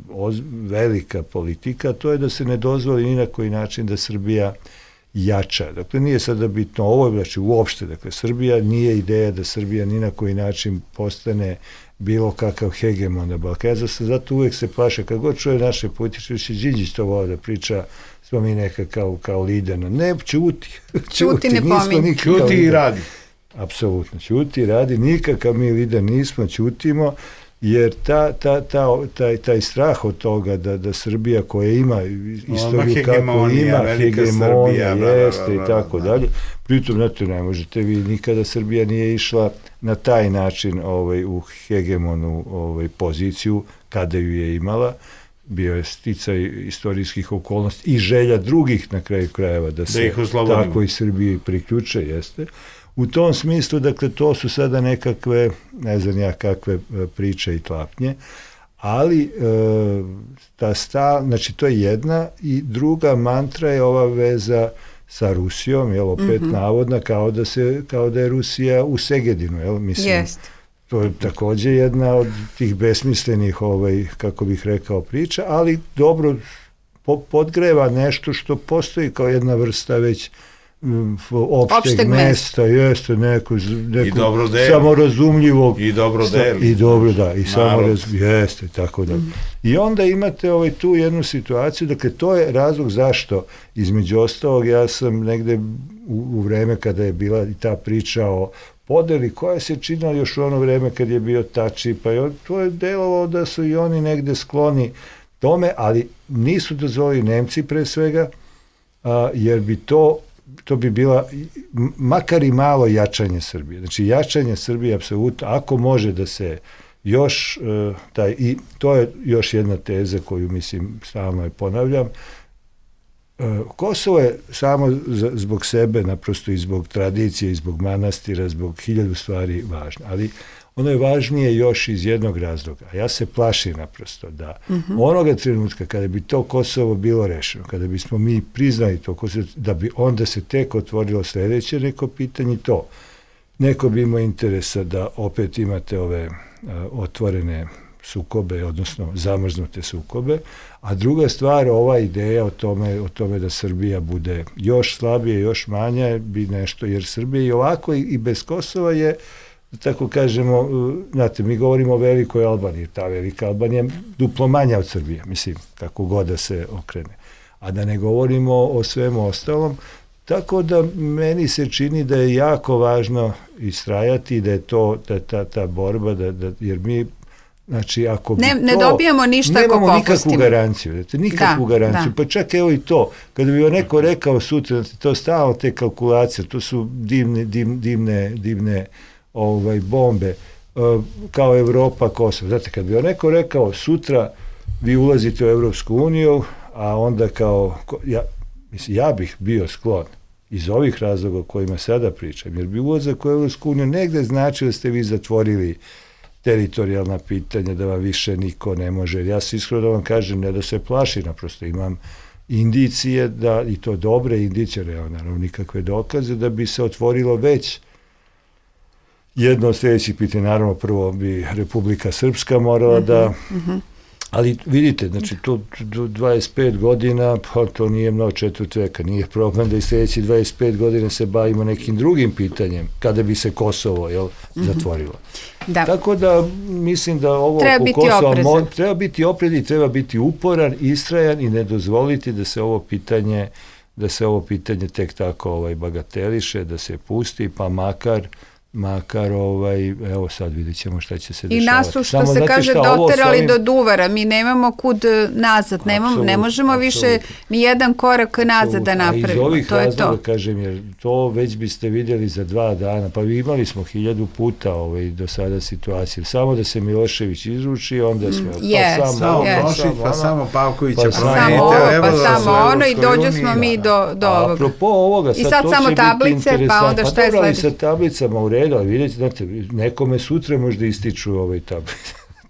velika politika, to je da se ne dozvoli ni na koji način da Srbija jača. Dakle, nije sada bitno ovo, znači uopšte, dakle, Srbija nije ideja da Srbija ni na koji način postane bilo kakav hegemon na Balkanu. Zato uvek se plaše, kad god čuje naše političare, Đinđić to volao da priča, smo mi neka kao liderno. Ne, ćuti, ne pominje. Ćuti i radi. Apsolutno, ćuti i radi, nikakav mi lider nismo, ćutimo, jer taj strah od toga da Srbija koja ima istoriju kako ima, hegemonija, jeste i tako dalje, pritom, znate, ne možete vi, nikada Srbija nije išla na taj način u hegemonu poziciju, kada ju je imala, bio je sticaj istorijskih okolnosti i želja drugih na kraju krajeva da se tako i Srbiji priključe, jeste. U tom smislu, dakle, to su sada nekakve, ne znam ja kakve priče i tlapnje, ali znači to je jedna i druga mantra je ova veza sa Rusijom, jel, opet navodna, kao da je Rusija u Segedinu, jel, mislim. To je takođe jedna od tih besmislenih, kako bih rekao, priča, ali dobro podgreva nešto što postoji kao jedna vrsta već opšteg mesta, jeste neko samorazumljivog i dobro deli. I dobro, da, i samorazumljivog, jeste, tako da. I onda imate tu jednu situaciju, dakle, to je razlog zašto, između ostalog, ja sam negde u vreme kada je bila i ta priča o podeli koja se činila još u ono vreme kad je bio Tači, pa to je delovalo da su i oni negde skloni tome, ali nisu dozvolili Nemci pre svega, jer bi to bi bila makar i malo jačanje Srbije. Znači, jačanje Srbije apsolutno, ako može da se još i to je još jedna teza koju, mislim, stalno je ponavljam, Kosovo je samo zbog sebe, naprosto i zbog tradicije, i zbog manastira, zbog 1000 stvari važno, ali ono je važnije još iz jednog razloga. Ja se plašim naprosto da onoga trenutka kada bi to Kosovo bilo rešeno, kada bismo mi priznali to Kosovo, da bi onda se tek otvorilo sledeće neko pitanje, to neko bi imao interesa da opet imate ove otvorene sukobe, odnosno zamrznute sukobe, a druga stvar, ova ideja o tome da Srbija bude još slabije, još manja, bi nešto, jer Srbija i ovako i bez Kosova je, tako kažemo, znate, mi govorimo o velikoj Albaniji, ta velika Albanija je duplo manja od Srbije, mislim, kako god da se okrene. A da ne govorimo o svemu ostalom, tako da meni se čini da je jako važno istrajati, da je to ta borba, jer mi Znači, ako ne dobijamo ništa ako popustimo. Nemamo nikakvu garanciju. Nikakvu garanciju. Pa čak evo i to. Kada bi neko rekao sutra, to stalno te kalkulacije, to su divne bombe, kao Evropa, Kosovo. Znate, kad bi neko rekao sutra vi ulazite u Evropsku uniju, a onda ja bih bio sklon iz ovih razloga o kojima sada pričam, jer bi ulazak u Evropsku uniju negde znači da ste vi zatvorili teritorijalna pitanja, da vam više niko ne može. Ja se iskreno da vam kažem, ne da se plaši, naprosto imam indicije, i to dobre indicije, naravno nikakve dokaze, da bi se otvorilo već jedno od sljedećih pitanja. Naravno, prvo bi Republika Srpska morala da... Ali vidite, znači to 25 godina, pa to nije mnogo, četvrt veka, nije problem da i sljedeći 25 godina se bavimo nekim drugim pitanjem, kada bi se Kosovo zatvorilo. Da. Tako da mislim da ovo oko Kosova treba biti oprezan i treba biti uporan, istrajan i ne dozvoliti da se ovo pitanje tek tako bagateliše, da se pusti, pa makar evo sad vidjet ćemo šta će se dešavati. I nas su, što se kaže, doterali do duvara. Mi nemamo kud nazad, ne možemo više ni jedan korak nazad da napravimo. A iz ovih razloga, kažem, jer to već biste vidjeli za 2 dana, pa imali smo 1000 puta do sada situacije. Samo da se Milošević izruči, onda smo... Pa samo Pavkovića samo ono i dođu smo mi do ovoga. Apropo ovoga, i sad samo tablice, pa onda šta je sledeće? Sa tablicama u redu, ali vidite, znate, nekome sutra možda ističu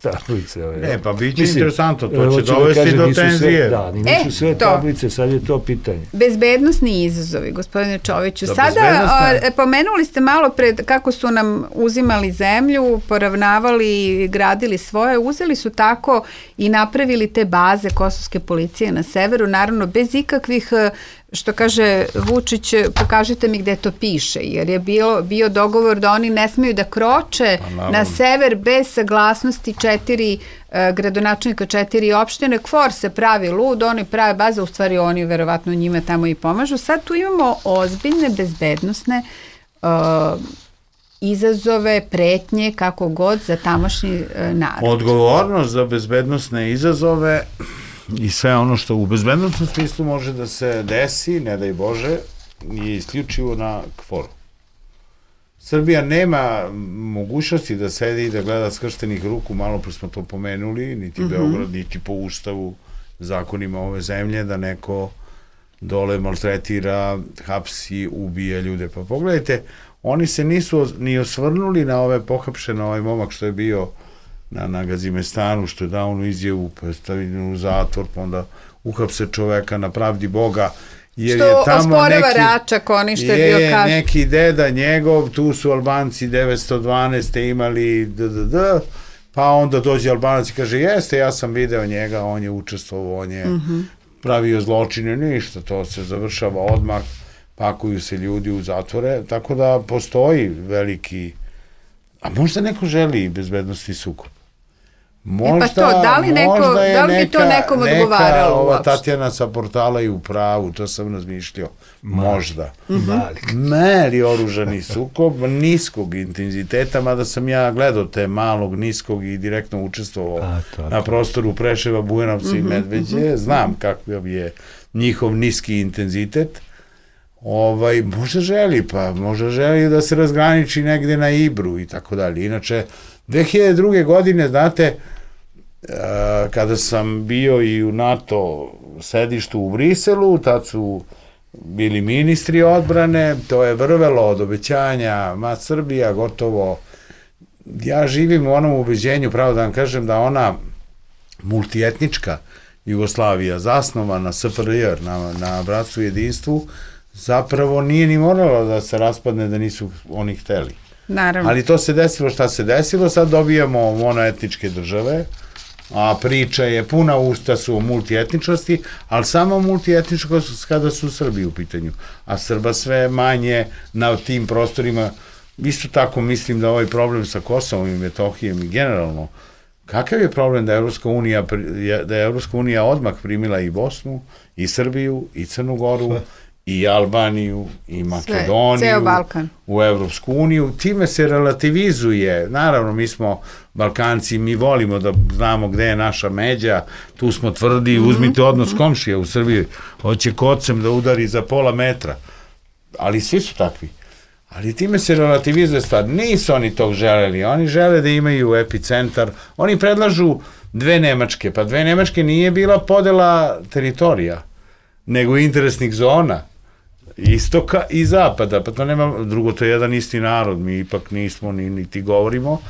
tablice. Ne, pa bit će interesantno, to će dovesti do tenzije. Da, nisu sve tablice, sad je to pitanje. Bezbednosni izazovi, gospodine Čoviću. Sada pomenuli ste malo pred kako su nam uzimali zemlju, poravnavali, gradili svoje, uzeli su tako i napravili te baze kosovske policije na severu, naravno bez ikakvih, što kaže Vučić, pokažite mi gde to piše, jer je bio dogovor da oni ne smeju da kroče na sever bez saglasnosti 4 gradonačelnika 4 opštine. KFOR se pravi lud, oni prave baze, u stvari oni verovatno njima tamo i pomažu. Sad tu imamo ozbiljne bezbednosne izazove, pretnje, kako god, za tamošnji narod. Odgovornost za bezbednosne izazove i sve ono što u bezbednostnom smislu može da se desi, ne daj Bože, je isključivo na KFOR-u. Srbija nema mogućnosti da sedi i da gleda skrštenih ruku, malo pre smo to pomenuli, niti Beograd, niti po ustavu, zakonima ove zemlje, da neko dole maltretira, hapsi, ubija ljude. Pa pogledajte, oni se nisu ni osvrnuli na ove pohapšene, ovaj momak što je bio na Gazimestanu, što je dao onu izjavu, pa je stavljen u zatvor, pa onda uhapse čoveka na pravdi Boga, jer što je tamo osporava Račak, oni što je bio kaže. Neki deda njegov, tu su Albanci 912. imali pa onda dođe Albanac i kaže, jeste, ja sam video njega, on je učestvovao, on je pravio zločine, ništa, to se završava odmah, pakuju se ljudi u zatvore, tako da postoji veliki, a možda neko želi bezbednosti sukob. Možda, pa to, da li bi to nekom odgovaralo ova uopšte? Tatjana sa portala i u pravu, to sam razmišljao. Možda. Mali oružani sukob, niskog intenziteta, mada sam ja gledao te malog, niskog i direktno učestvovao na prostoru Preševa, Bujanovca i Medveđe. Znam kakav je njihov niski intenzitet. Možda želi da se razgraniči negde na Ibru i tako dalje. Inače, 2002. godine, znate, kada sam bio i u NATO sedištu u Briselu, tad su bili ministri odbrane, to je vrvelo od obećanja, Srbija gotovo. Ja živim u onom ubeđenju, pravo da vam kažem, da ona multietnička Jugoslavija, zasnovana SFRJ na bratstvu i jedinstvu, zapravo nije ni moralo da se raspadne da nisu oni hteli. Naravno. Ali to se desilo šta se desilo, sad dobijamo monoetničke države, a priča je, puna usta su o multietničnosti, ali samo multietničkost kada su Srbi u pitanju, a Srba sve manje na tim prostorima. Isto tako mislim da ovaj problem sa Kosovom i Metohijom i generalno, kakav je problem da je Evropska unija odmah primila i Bosnu, i Srbiju, i Crnu Goru, i Albaniju, i Makedoniju, ceo Balkan. U Evropsku uniju. Time se relativizuje. Naravno, mi smo Balkanci, mi volimo da znamo gde je naša međa, tu smo tvrdi, uzmite odnos komšija u Srbiji, hoće kocem da udari za pola metra. Ali svi su takvi. Ali time se relativizuje stvar. Nisu oni tog želeli. Oni žele da imaju epicentar. Oni predlažu 2 Nemačke. Pa 2 Nemačke nije bila podela teritorija, nego interesnih zona. Istoka i zapada. Pa to nema, drugo, to je jedan isti narod. Mi ipak nismo, niti govorimo.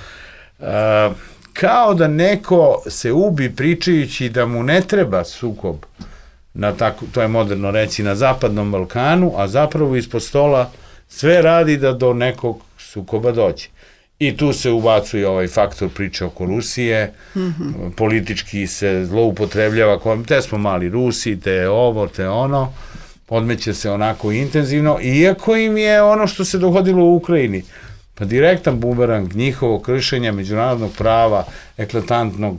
Kao da neko se ubi pričajući da mu ne treba sukob, to je moderno reći, na zapadnom Balkanu, a zapravo ispod stola sve radi da do nekog sukoba dođe. I tu se ubacuje ovaj faktor priče oko Rusije, politički se zloupotrebljava, te smo mali Rusi, te ovo, te ono, podmeće se onako intenzivno, iako im je ono što se dogodilo u Ukrajini, pa direktan bumerang njihovog kršenja međunarodnog prava, eklatantnog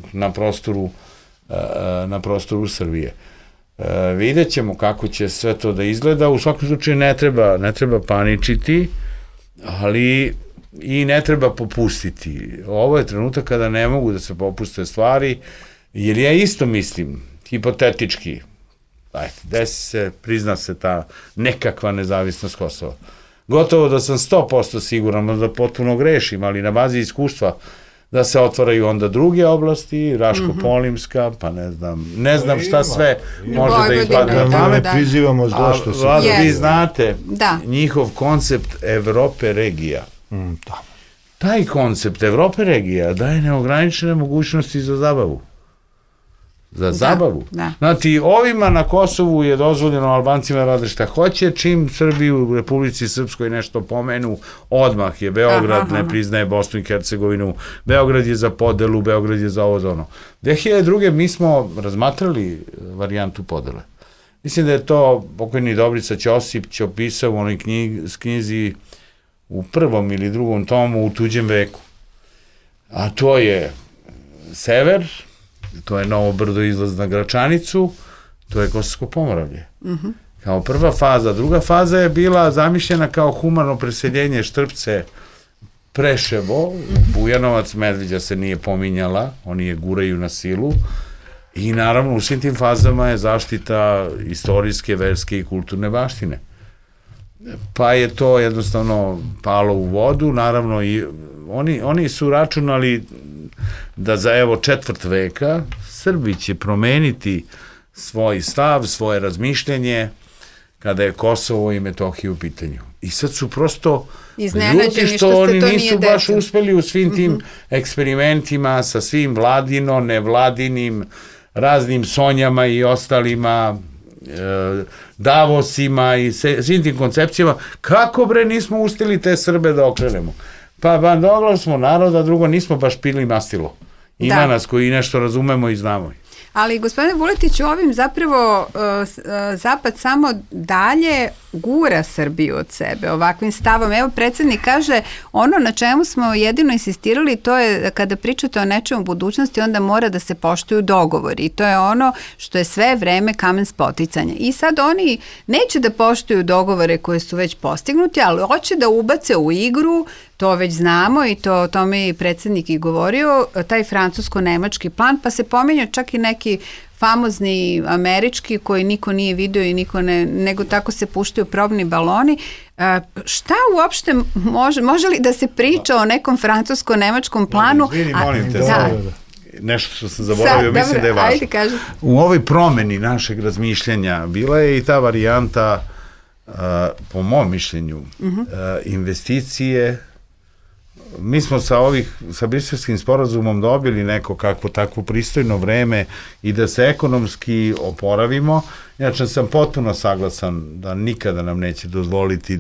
na prostoru Srbije. Vidjet ćemo kako će sve to da izgleda. U svakom slučaju ne treba paničiti, ali i ne treba popustiti. Ovo je trenutak kada ne mogu da se popuste stvari, jer ja isto mislim, hipotetički, desi se, prizna se ta nekakva nezavisnost Kosova. Gotovo da sam 100% siguran, da potpuno grešim, ali na bazi iskustva da se otvaraju onda druge oblasti, Raško-Polimska, pa ne znam šta sve može da ispadne na pamet. Prizivamo zlo što se... Vi znate njihov koncept Evrope regija. Taj koncept Evrope regija daje neograničene mogućnosti za zabavu. Znači, ovima na Kosovu je dozvoljeno, Albancima rade šta hoće, čim Srbi u Republici Srpskoj nešto pomenu, odmah je Beograd, ne priznaje Bosnu i Hercegovinu, Beograd je za podelu, Beograd je za ovo za ono. 2002. mi smo razmatrali varijantu podele. Mislim da je to pokojni Dobrica Ćosić opisao u onoj knjizi u 1. ili 2. tomu U tuđem veku. A to je sever, to je Novo Brdo, izlaz na Gračanicu, to je Kosovsko Pomoravlje. Kao prva faza. Druga faza je bila zamišljena kao humano preseljenje Štrpce, Preševo, Bujanovac, Medveđa se nije pominjala, oni je guraju na silu, i naravno u svim tim fazama je zaštita istorijske, verske i kulturne baštine. Pa je to jednostavno palo u vodu, naravno i oni su računali da za evo 4 veka Srbi će promeniti svoj stav, svoje razmišljenje kada je Kosovo i Metohija u pitanju. I sad su prosto ljuti što oni nisu baš uspeli u svim tim eksperimentima sa svim vladino, nevladinim, raznim Sonjama i ostalima, Davosima i svim tim koncepcijama. Kako bre nismo uspeli te Srbe da okrenemo? Pa bandoglav smo naroda, drugo nismo baš pili mastilo. Ima nas koji nešto razumemo i znamo. Ali, gospodine Vuletiću, ovim zapravo Zapad samo dalje gura Srbiju od sebe ovakvim stavom. Evo, predsjednik kaže, ono na čemu smo jedino insistirali, to je kada pričate o nečemu u budućnosti, onda mora da se poštuju dogovori. I to je ono što je sve vreme kamen spoticanja. I sad oni neće da poštuju dogovore koje su već postignuti, ali hoće da ubace u igru, to već znamo i to o tome i predsjednik i govorio, taj francusko-nemački plan, pa se pominju čak i neki famozni američki koji niko nije video i niko ne, nego tako se puštaju probni baloni. Šta uopšte može li da se priča o nekom francusko-nemačkom planu? Molim te, nešto što sam zaboravio, mislim da je važno. U ovoj promeni našeg razmišljanja bila je i ta varijanta, po mom mišljenju, investicije. Mi smo sa Briselskim sporazumom dobili neko kakvo takvo pristojno vreme i da se ekonomski oporavimo. Inače sam potpuno saglasan da nikada nam neće dozvoliti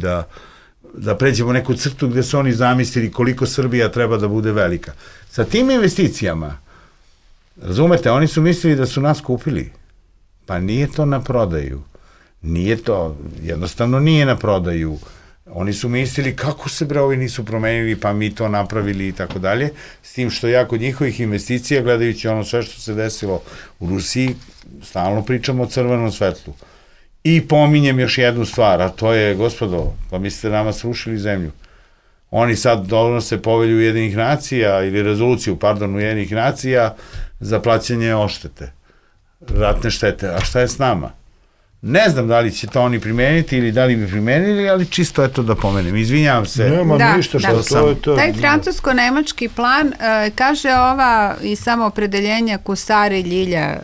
da pređemo neku crtu gde su oni zamislili koliko Srbija treba da bude velika. Sa tim investicijama, razumete, oni su mislili da su nas kupili. Pa nije to na prodaju. Nije to, jednostavno nije na prodaju. Oni su mislili kako se bre ovi nisu promenili, pa mi to napravili i tako dalje, s tim što ja kod njihovih investicija, gledajući ono sve što se desilo u Rusiji, stalno pričamo o crvenom svetlu. I pominjem još jednu stvar, a to je, gospodo, pa mi ste nama srušili zemlju. Oni sad donose povelju Ujedinjenih nacija ili rezoluciju, Ujedinjenih nacija za plaćanje odštete, ratne štete. A šta je s nama? Ne znam da li će to oni primeniti ili da li bi primenili, ali čisto eto da pomenem. Izvinjavam se. Nema ništa što to. Taj francusko-nemački plan kaže ova i samo opredeljenja Kusare Ljilja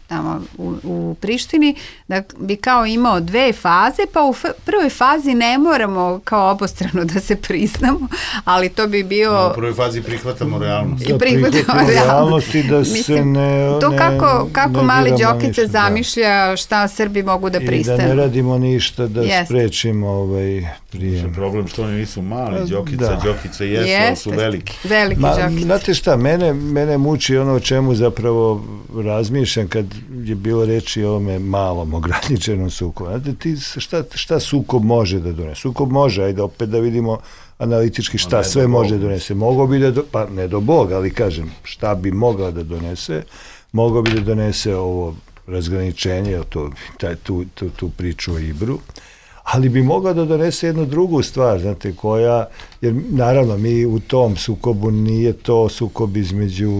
tamo u Prištini, da bi kao imao 2 faze, pa u prvoj fazi ne moramo kao obostrano da se priznamo, ali to bi bio... U prvoj fazi prihvatamo realnost. Da prihvatamo realnost i da se ne... To kako mali Đokica zamišlja šta Srbi mogu da pristanu. I da ne radimo ništa da sprečimo prijem. Problem što oni nisu mali, Đokica jesu, ali su veliki. Veliki Đokica. Znate šta, mene muči ono o čemu zapravo razmišljam kad je bilo reči o ovome malom ograničenom sukobu. Znate, šta sukob može da donese? Sukob može, ajde opet da vidimo analitički šta sve može da donese. Mogao bi pa ne do Boga, ali kažem, šta bi mogao da donese? Mogao bi da donese ovo razgraničenje, tu priču o Ibru, ali bi mogao da donese jednu drugu stvar, znate, jer naravno mi u tom sukobu nije to sukob između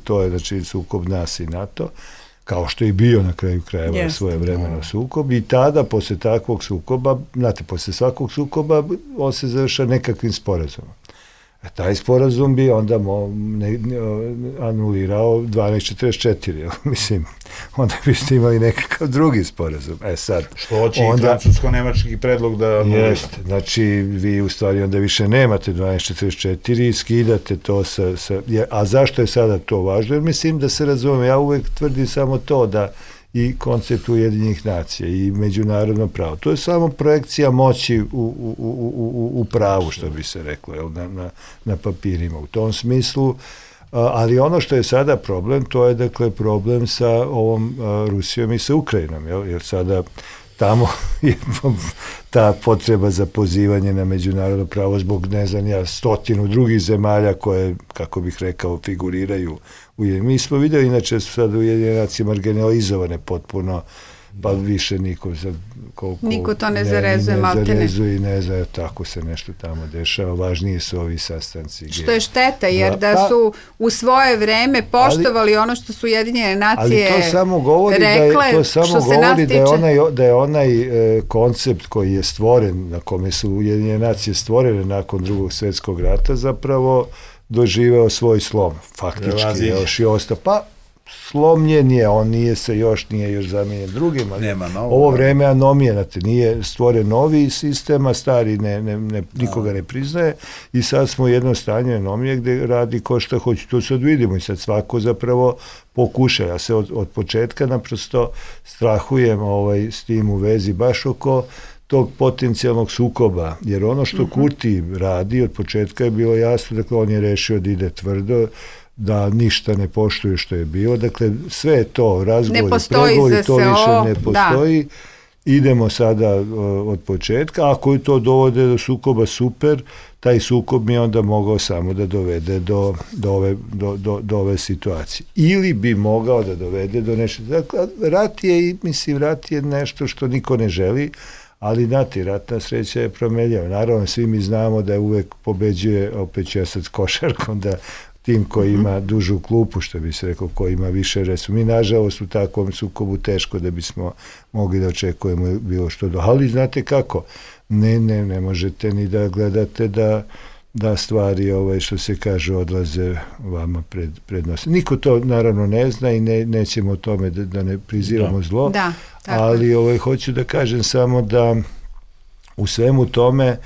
to je znači sukob nas i NATO, kao što je bio na kraju krajeva svoje vremeno sukob i tada posle takvog sukoba, znate, posle svakog sukoba on se završa nekakvim sporazumom. Taj sporazum bi onda anulirao 1244, mislim, onda biste imali nekakav drugi sporazum. Sad, što hoće i francusko-nemački predlog da... Jeste, znači vi u stvari onda više nemate 1244 i skidate to a zašto je sada to važno? Jer mislim da se razume, ja uvek tvrdim samo to da i koncept Ujedinjenih nacija i međunarodno pravo. To je samo projekcija moći u pravu, što bi se reklo, na papirima. U tom smislu, ali ono što je sada problem, to je dakle problem sa ovom Rusijom i sa Ukrajinom, jer sada tamo je ta potreba za pozivanje na međunarodno pravo zbog, ne znam ja, 100 drugih zemalja koje, kako bih rekao, figuriraju. Mi smo vidjeli, inače su sada Ujedinjene nacije marginalizovane potpuno, pa više niko to ne zarezuje, maltene. Ne zarezuje i ne zna, tako se nešto tamo dešava. Važniji su ovi sastanci. Što je šteta, jer da su u svoje vreme poštovali ono što su Ujedinjene nacije rekle, ali to samo govori da je onaj koncept koji je stvoren, na kome su Ujedinjene nacije stvorene nakon Drugog svjetskog rata, zapravo doživeo svoj slom. Faktički još i ostao. Pa slomljen je, on nije još zamijenjen drugim, ali ovo vreme anomije, znate, nije stvoren novi sistem, a stari nikoga ne priznaje i sad smo u jednom stanju anomije gde radi ko šta hoće, to sad vidimo i sad svako zapravo pokuša. Ja se od početka naprosto strahujem s tim u vezi baš oko tog potencijalnog sukoba, jer ono što Kurti radi od početka je bilo jasno, dakle on je rešio da ide tvrdo, da ništa ne poštuje što je bilo, dakle sve je to, razgovori, pregovori, to više ne postoji, idemo sada od početka, ako je to dovode do sukoba, super, taj sukob mi je onda mogao samo da dovede do ove situacije. Ili bi mogao da dovede do nešto, dakle rat je nešto što niko ne želi, ali znate, ratna sreća je promenljiva. Naravno, svi mi znamo da uvek pobeđuje, opet ću ja sad s košarkom, da tim koji ima dužu klupu, što bi se rekao, koji ima više resu. Mi, nažalost, u takvom sukobu teško da bismo mogli da očekujemo bilo što ali znate kako, ne možete ni da gledate da stvari, što se kaže, odlaze vama pred nos. Niko to naravno ne zna i nećemo o tome da ne prizivamo zlo, ali hoću da kažem samo da u svemu tome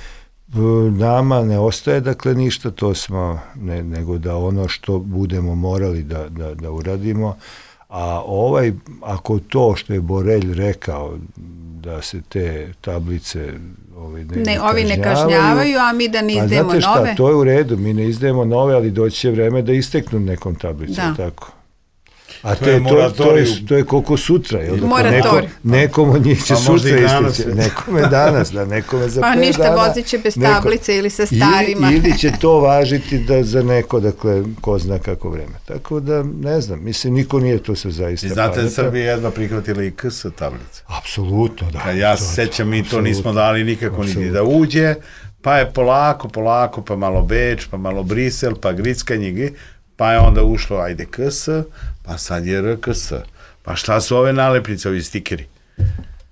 nama ne ostaje dakle ništa, to smo nego da ono što budemo morali da uradimo, a ako to što je Borelj rekao da se te tablice ovi ne kažnjavaju, a mi da ne izdajemo nove. Znate šta, to je u redu, mi ne izdajemo nove, ali doći će vreme da isteknu nekom tablicom, tako. A to je koliko sutra. Nekom od njih će sutra istići. Nekome danas, nekome za 5 dana. Pa ništa, vozit će bez tablice ili sa starima. Ili će to važiti za neko, dakle, ko zna kako vreme. Tako da, ne znam, mislim, niko nije to se zaista pametan. I znate, Srbija jedva prihvatila i KS tablice. Apsolutno, da. Ja se sećam, mi to nismo dali nikako niti da uđe, pa je polako, pa malo Beč, pa malo Brisel, pa grickanje, pa je onda ušlo, ajde KS, pa sad je RKS. Pa šta su ove nalepnice, ovi stikeri?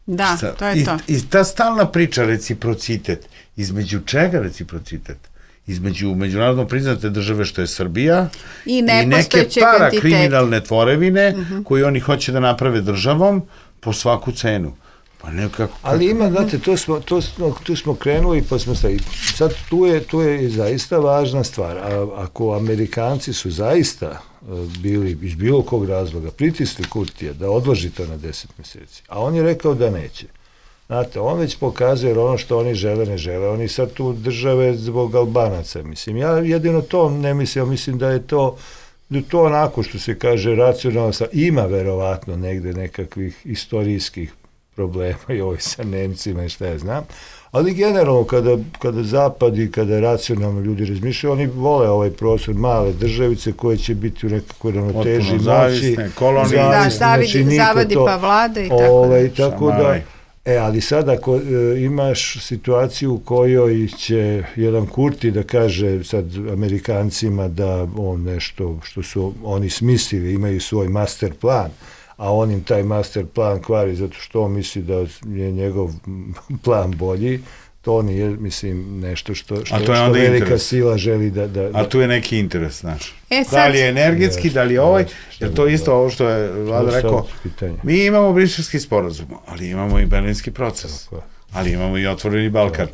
Da, to je to. I ta stalna priča, reciprocitet, između čega reciprocitet? Između međunarodno priznate države što je Srbija i neke parakriminalne tvorevine koje oni hoće da naprave državom po svaku cenu. Ali ima, znate, tu smo krenuli pa smo stavili. Sad tu je zaista važna stvar. Ako Amerikanci su zaista bili iz bilo kog razloga pritisli Kurtija da odloži to na 10 meseci, a on je rekao da neće. Znate, on već pokazuje jer ono što oni žele, ne žele. Oni sad tu države zbog Albanaca. Mislim, ja jedino to ne mislim, mislim da je to onako što se kaže racionalno. Ima verovatno negde nekakvih istorijskih problema i ovo sa Nemcima i šta ja znam, ali generalno kada Zapad i kada racionalno ljudi razmišljaju, oni vole ovaj prostor male državice koje će biti u nekakvoj ravnoteži moći, zavadi pa vlade i tako da. Ali sad ako imaš situaciju u kojoj će jedan Kurti da kaže sad Amerikancima da on nešto što su oni smislili, imaju svoj master plan, a on im taj master plan kvari zato što on misli da je njegov plan bolji, to nije, mislim, nešto što velika sila želi da... A tu je neki interes, znaš. Da li je energetski, da li je ovaj, jer to isto ovo što je Vlada rekao, mi imamo Briselski sporazum, ali imamo i Berlinski proces. Ali imamo i Otvoreni Balkan.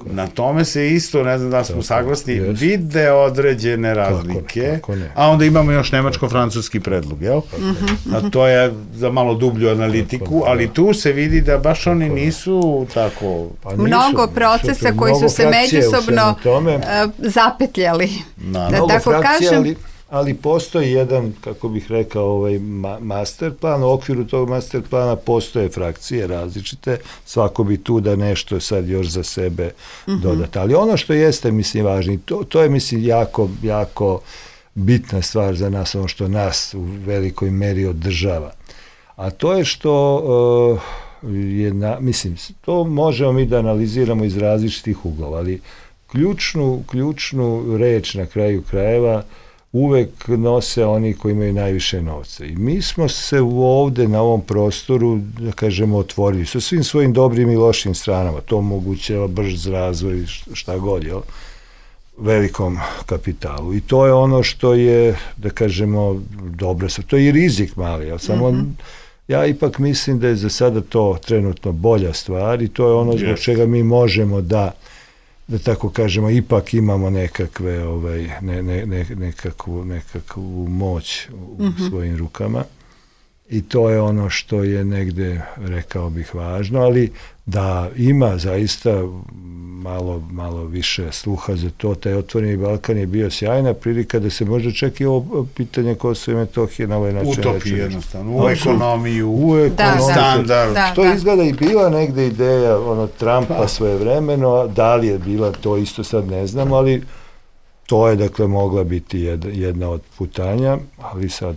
Na tome se isto, ne znam da smo saglasni, vide određene razlike, a onda imamo još nemačko-francuski predlog, jel? A to je za malo dublju analitiku, ali tu se vidi da baš oni nisu tako... Mnogo procesa koji su se međusobno zapetljali, da tako kažem. Ali postoji jedan, kako bih rekao, master plan, u okviru tog master plana postoje frakcije različite, svako bi tu da nešto sad još za sebe dodati. Ali ono što jeste, mislim, važno, to je, mislim, jako bitna stvar za nas, ono što nas u velikoj meri održava. A to je što mislim, to možemo mi da analiziramo iz različitih uglova, ali ključnu reč na kraju krajeva uvek nose oni koji imaju najviše novca. I mi smo se ovde na ovom prostoru, da kažemo, otvorili sa svim svojim dobrim i lošim stranama. To omogućava brz razvoj, šta god, jel? Velikom kapitalu. I to je ono što je, da kažemo, dobro. To je i rizik mali, jel? Samo ja ipak mislim da je za sada to trenutno bolja stvar i to je ono zbog čega mi možemo da tako kažemo, ipak imamo nekakve, nekakvu moć u svojim rukama i to je ono što je negde, rekao bih, važno, ali da ima zaista malo više sluha za to. Taj Otvoreni Balkan je bio sjajna prilika da se možda čak i ovo pitanje Kosova i Metohije na ovaj način utopi jednostavno, u ekonomiju, standard. Što izgleda i bila negde ideja Trumpa svojevremeno, da li je bila to isto sad ne znam, ali to je dakle mogla biti jedna od putanja, ali sad...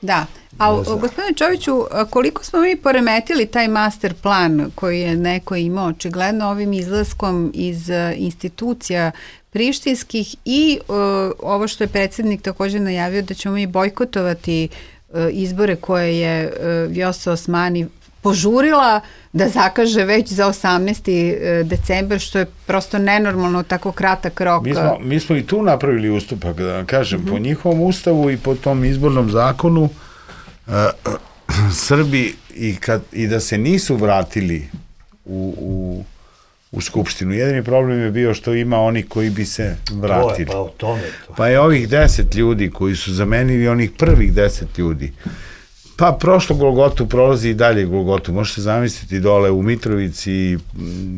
Da, a gospodine Čoviću, koliko smo mi poremetili taj master plan koji je neko imao očigledno ovim izlaskom iz institucija prištinskih i ovo što je predsjednik također najavio da ćemo mi bojkotovati izbore koje je Vjosa Osmani požurila da zakaže već za 18. decembar, što je prosto nenormalno tako kratak rok. Mi smo i tu napravili ustupak, da kažem, po njihovom ustavu i po tom izbornom zakonu Srbi i da se nisu vratili u Skupštinu. Jedini problem je bio što ima oni koji bi se vratili. Pa je ovih 10 ljudi koji su zamenili onih prvih 10 ljudi. Pa prošlo Golgotu, prolazi i dalje Golgotu. Možete zamisliti dole u Mitrovici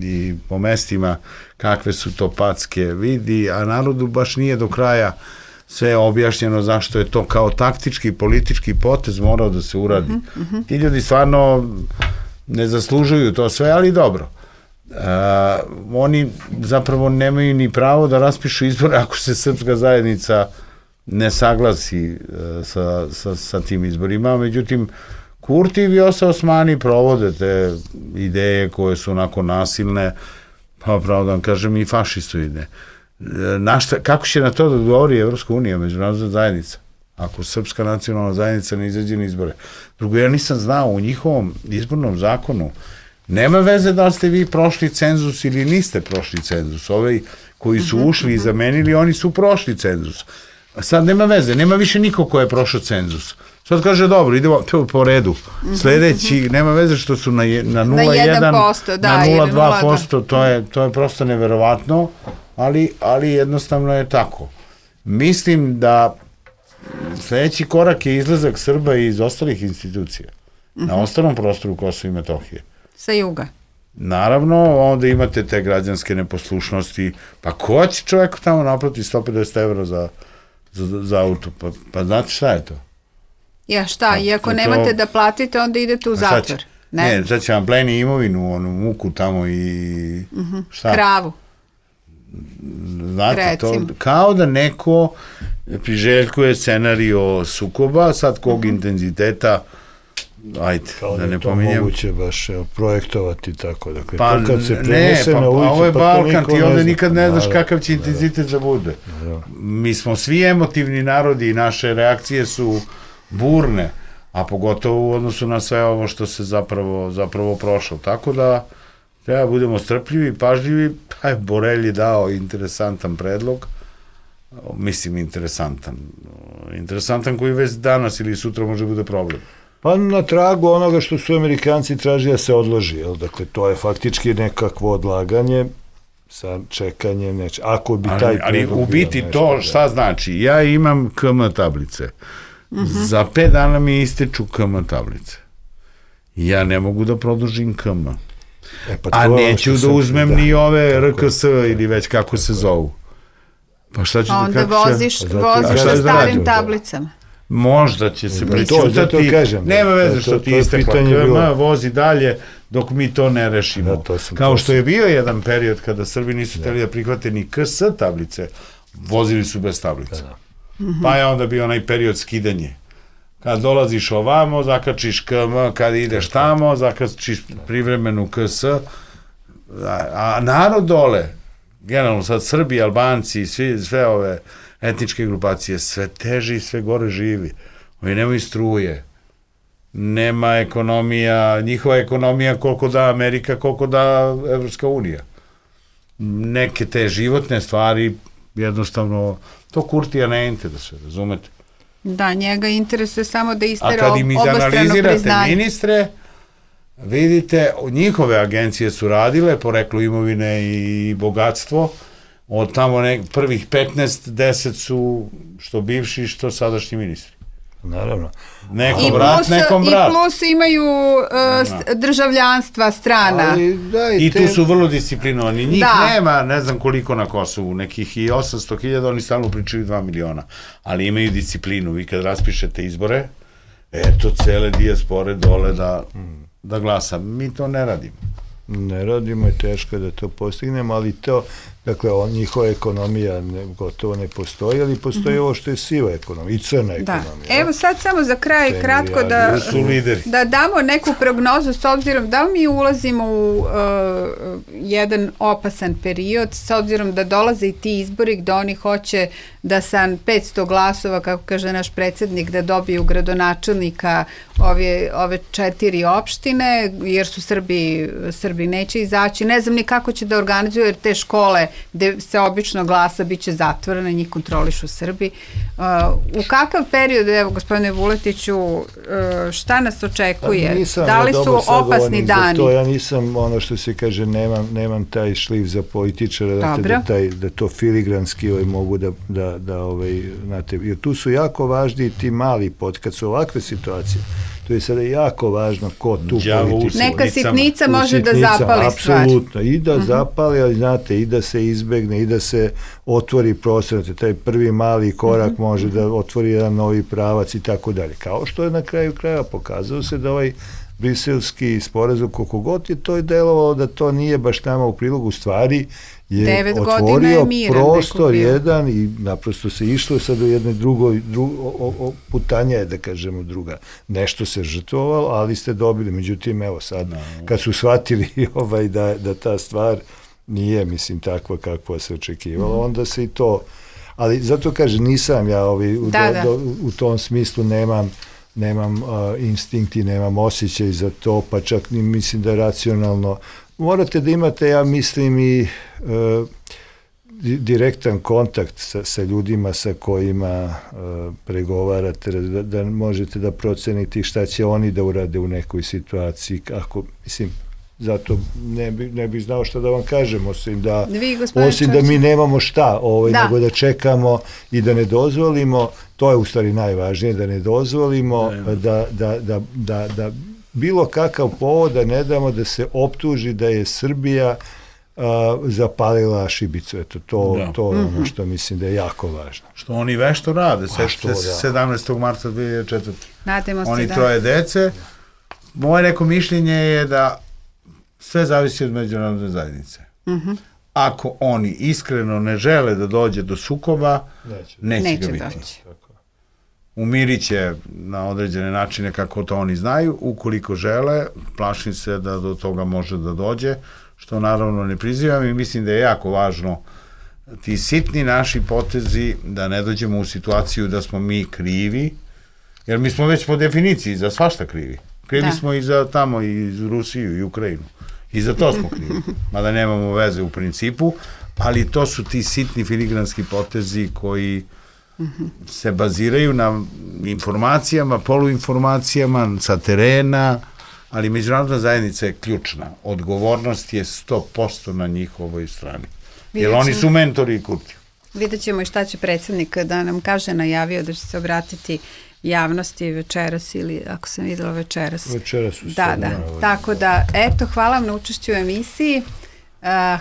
i po mestima kakve su to packe vidi, a narodu baš nije do kraja sve je objašnjeno zašto je to kao taktički, politički potez morao da se uradi. Ti ljudi stvarno ne zaslužuju to sve, ali dobro. Oni zapravo nemaju ni pravo da raspišu izbore ako se srpska zajednica ne saglasi sa tim izborima. Međutim, Kurti i Vjosa Osmani provode te ideje koje su onako nasilne, pa pravo da vam kažem i fašistoidne. Kako će na to da odgovori Evropska unija, međunarodna zajednica, ako Srpska nacionalna zajednica ne izađe na izbore? Drugo, ja nisam znao, u njihovom izbornom zakonu nema veze da ste vi prošli cenzus ili niste prošli cenzus. Ovi koji su ušli i zamenili, oni su prošli cenzus. A sad nema veze, nema više niko ko je prošao cenzus. Sad kaže, dobro, idemo po redu. Sledeći, nema veze što su na 0,1, na 0,2%, to je prosto neverovatno, ali jednostavno je tako. Mislim da sledeći korak je izlazak Srba iz ostalih institucija, na ostalom prostoru Kosova i Metohije. Sa juga. Naravno, onda imate te građanske neposlušnosti, pa ko će čovjeku tamo naplati 150 evra za auto? Pa znate šta je to? Ja šta, i ako nemate da platite, onda idete u zatvor. Ne, sad će vam pleni imovinu, onu muku tamo i šta? Kravu. Znate, to kao da neko priželjkuje scenario sukoba, sad kog intenziteta, ajde, da ne pominjem. Kao da je to moguće baš projektovati tako, dakle, pa to kad se prenese na ulicu, ovo je Balkan, ti ovde nikad ne znaš kakav će intenzitet da bude. Mi smo svi emotivni narodi i naše reakcije su burne, a pogotovo u odnosu na sve ovo što se zapravo prošlo. Tako da treba budemo strpljivi, pažljivi. Borelj je dao interesantan predlog, mislim interesantan koji već danas ili sutra može bude problem. Pa na tragu onoga što su Amerikanci tražili da se odloži, jel? Dakle, to je faktički nekakvo odlaganje sa čekanjem neče. Ako bi taj ali u biti to šta znači? Ja imam KM tablice. Za 5 dana mi ističu KM tablice. Ja ne mogu da produžim KM. A neću da uzmem ni ove RKS ili već kako se zovu. Pa šta ću onda voziš na starim tablicama. Možda će se prećutati, nema veze što ti istekla KM, vozi dalje dok mi to ne rešimo. Kao što je bio jedan period kada Srbi nisu hteli da prihvate ni KS tablice, vozili su bez tablice. Pa je onda bio onaj period skidanje. Kad dolaziš ovamo, zakačiš KM, kad ideš tamo, zakačiš privremenu KS, a narod dole, generalno sad Srbi, Albanci, sve ove etničke grupacije, sve teže i sve gore živi. Oni nemaju struje, nema ekonomija, njihova ekonomija koliko da Amerika, koliko da Evropska unija. Neke te životne stvari, jednostavno, to Kurtija ne interesuje, razumete? Da, njega interesuje samo da istera obostrano priznanje. A kad im izanalizirate ministre, vidite, njihove agencije su radile, poreklo imovine i bogatstvo, od tamo prvih 15, 10 su što bivši, što sadašnji ministri. Naravno. Nekom brat, nekom brat. I plus imaju državljanstva strana. I tu su vrlo disciplinovani. Njih nema, ne znam koliko na Kosovu, nekih i 800.000, oni stalno pričaju 2 miliona. Ali imaju disciplinu. Vi kad raspišete izbore, eto, cele dijaspore dole da glasa. Mi to ne radimo. Ne radimo, je teško da to postignemo, ali to, dakle, njihova ekonomija gotovo ne postoji, ali postoji ovo što je siva ekonomija i crna ekonomija. Evo sad samo za kraj kratko da damo neku prognozu s obzirom da li mi ulazimo u jedan opasan period, s obzirom da dolaze i ti izbori gde oni hoće da sa 500 glasova, kako kaže naš predsjednik, da dobiju gradonačelnika ove 4 opštine, jer su Srbi neće izaći. Ne znam ni kako će da organizuju, jer te škole gde se obično glasa biće zatvorene, njih kontrolišu Srbi. U kakav period, evo gospodine Vuletiću, šta nas očekuje? Da li su opasni dani? Ja nisam, ono što se kaže, nemam taj šlif za političara, da to filigranski mogu da znate, jer tu su jako važni ti mali kad su ovakve situacije, To je sada jako važno ko tu politiku. Neka sitnica može da zapali stvar. Apsolutno, i da zapali, ali znate, i da se izbegne, i da se otvori prostor, taj prvi mali korak može da otvori jedan novi pravac i tako dalje. Kao što je na kraju kraja pokazao se da ovaj briselski sporazum, koliko god je to delovalo da to nije baš nama u prilogu, stvari je otvorio prostor jedan i naprosto se išlo sad u jednoj drugoj putanja je, da kažemo, druga. Nešto se žrtvovalo, ali ste dobili. Međutim, evo sad, kad su shvatili da ta stvar nije, mislim, takva kakva se očekivalo, onda se i to... Ali zato kažem, nisam ja u tom smislu nemam instinkti, nemam osjećaj za to, pa čak ni mislim da je racionalno. Morate da imate, ja mislim, i direktan kontakt sa ljudima sa kojima pregovarate, da možete da procenite šta će oni da urade u nekoj situaciji. Ako, mislim, zato ne bih znao šta da vam kažem, osim da mi nemamo šta, nego da čekamo i da ne dozvolimo, to je u stvari najvažnije, da ne dozvolimo da bilo kakav povod da ne damo da se optuži da je Srbija zapalila šibicu. Eto, to je ono što mislim da je jako važno. Što oni vešto rade, 17. marta 2004. Oni troje dece. Moje neko mišljenje je da sve zavisi od međunarodne zajednice. Ako oni iskreno ne žele da dođe do sukoba, neće ga biti. Umirit će na određene načine kako to oni znaju. Ukoliko žele, plašim se da do toga može da dođe, što naravno ne prizivam i mislim da je jako važno ti sitni naši potezi da ne dođemo u situaciju da smo mi krivi, jer mi smo već po definiciji za svašta krivi. Krivi smo i za tamo, i za Rusiju i Ukrajinu. I za to smo krivi. Mada nemamo veze u principu, ali to su ti sitni filigranski potezi koji se baziraju na informacijama, poluinformacijama sa terena, ali međunarodna zajednica je ključna. Odgovornost je 100% na njihovoj strani. Jer oni su mentori i Kurti. Vidjet ćemo i šta će predsjednik da nam kaže, najavio da će se obratiti javnosti večeras ili ako sam videla večeras. Večeras su da. Tako da, eto, hvala vam na učešću u emisiji.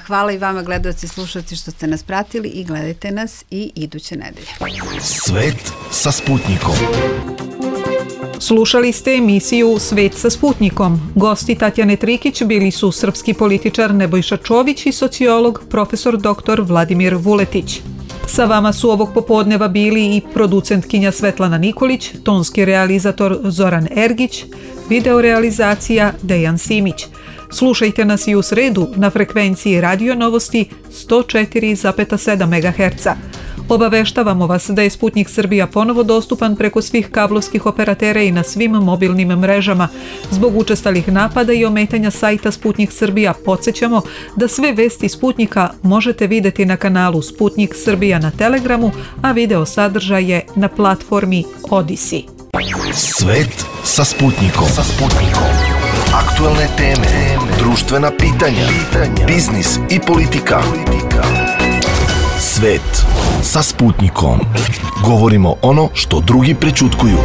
Hvala i vama, gledalci i slušalci, što ste nas pratili i gledajte nas i iduće nedelje. Svet sa Sputnikom. Slušali ste emisiju Svet sa Sputnikom. Gosti Tatjane Trikić bili su srpski političar Nebojša Čović i sociolog profesor dr. Vladimir Vuletić. Sa vama su ovog popodneva bili i producentkinja Svetlana Nikolić, tonski realizator Zoran Ergić, videorealizacija Dejan Simić. Slušajte nas i u sredu na frekvenciji Radio Novosti 104,7 MHz. Obaveštavamo vas da je Sputnik Srbija ponovo dostupan preko svih kablovskih operatera i na svim mobilnim mrežama. Zbog učestalih napada i ometanja sajta Sputnik Srbija podsjećamo da sve vesti Sputnika možete videti na kanalu Sputnik Srbija na Telegramu, a video sadržaje na platformi Odyssey. Svet sa Sputnikom. Aktualne teme, društvena pitanja, biznis i politika. Svet sa Sputnikom. Govorimo ono što drugi prećutkuju.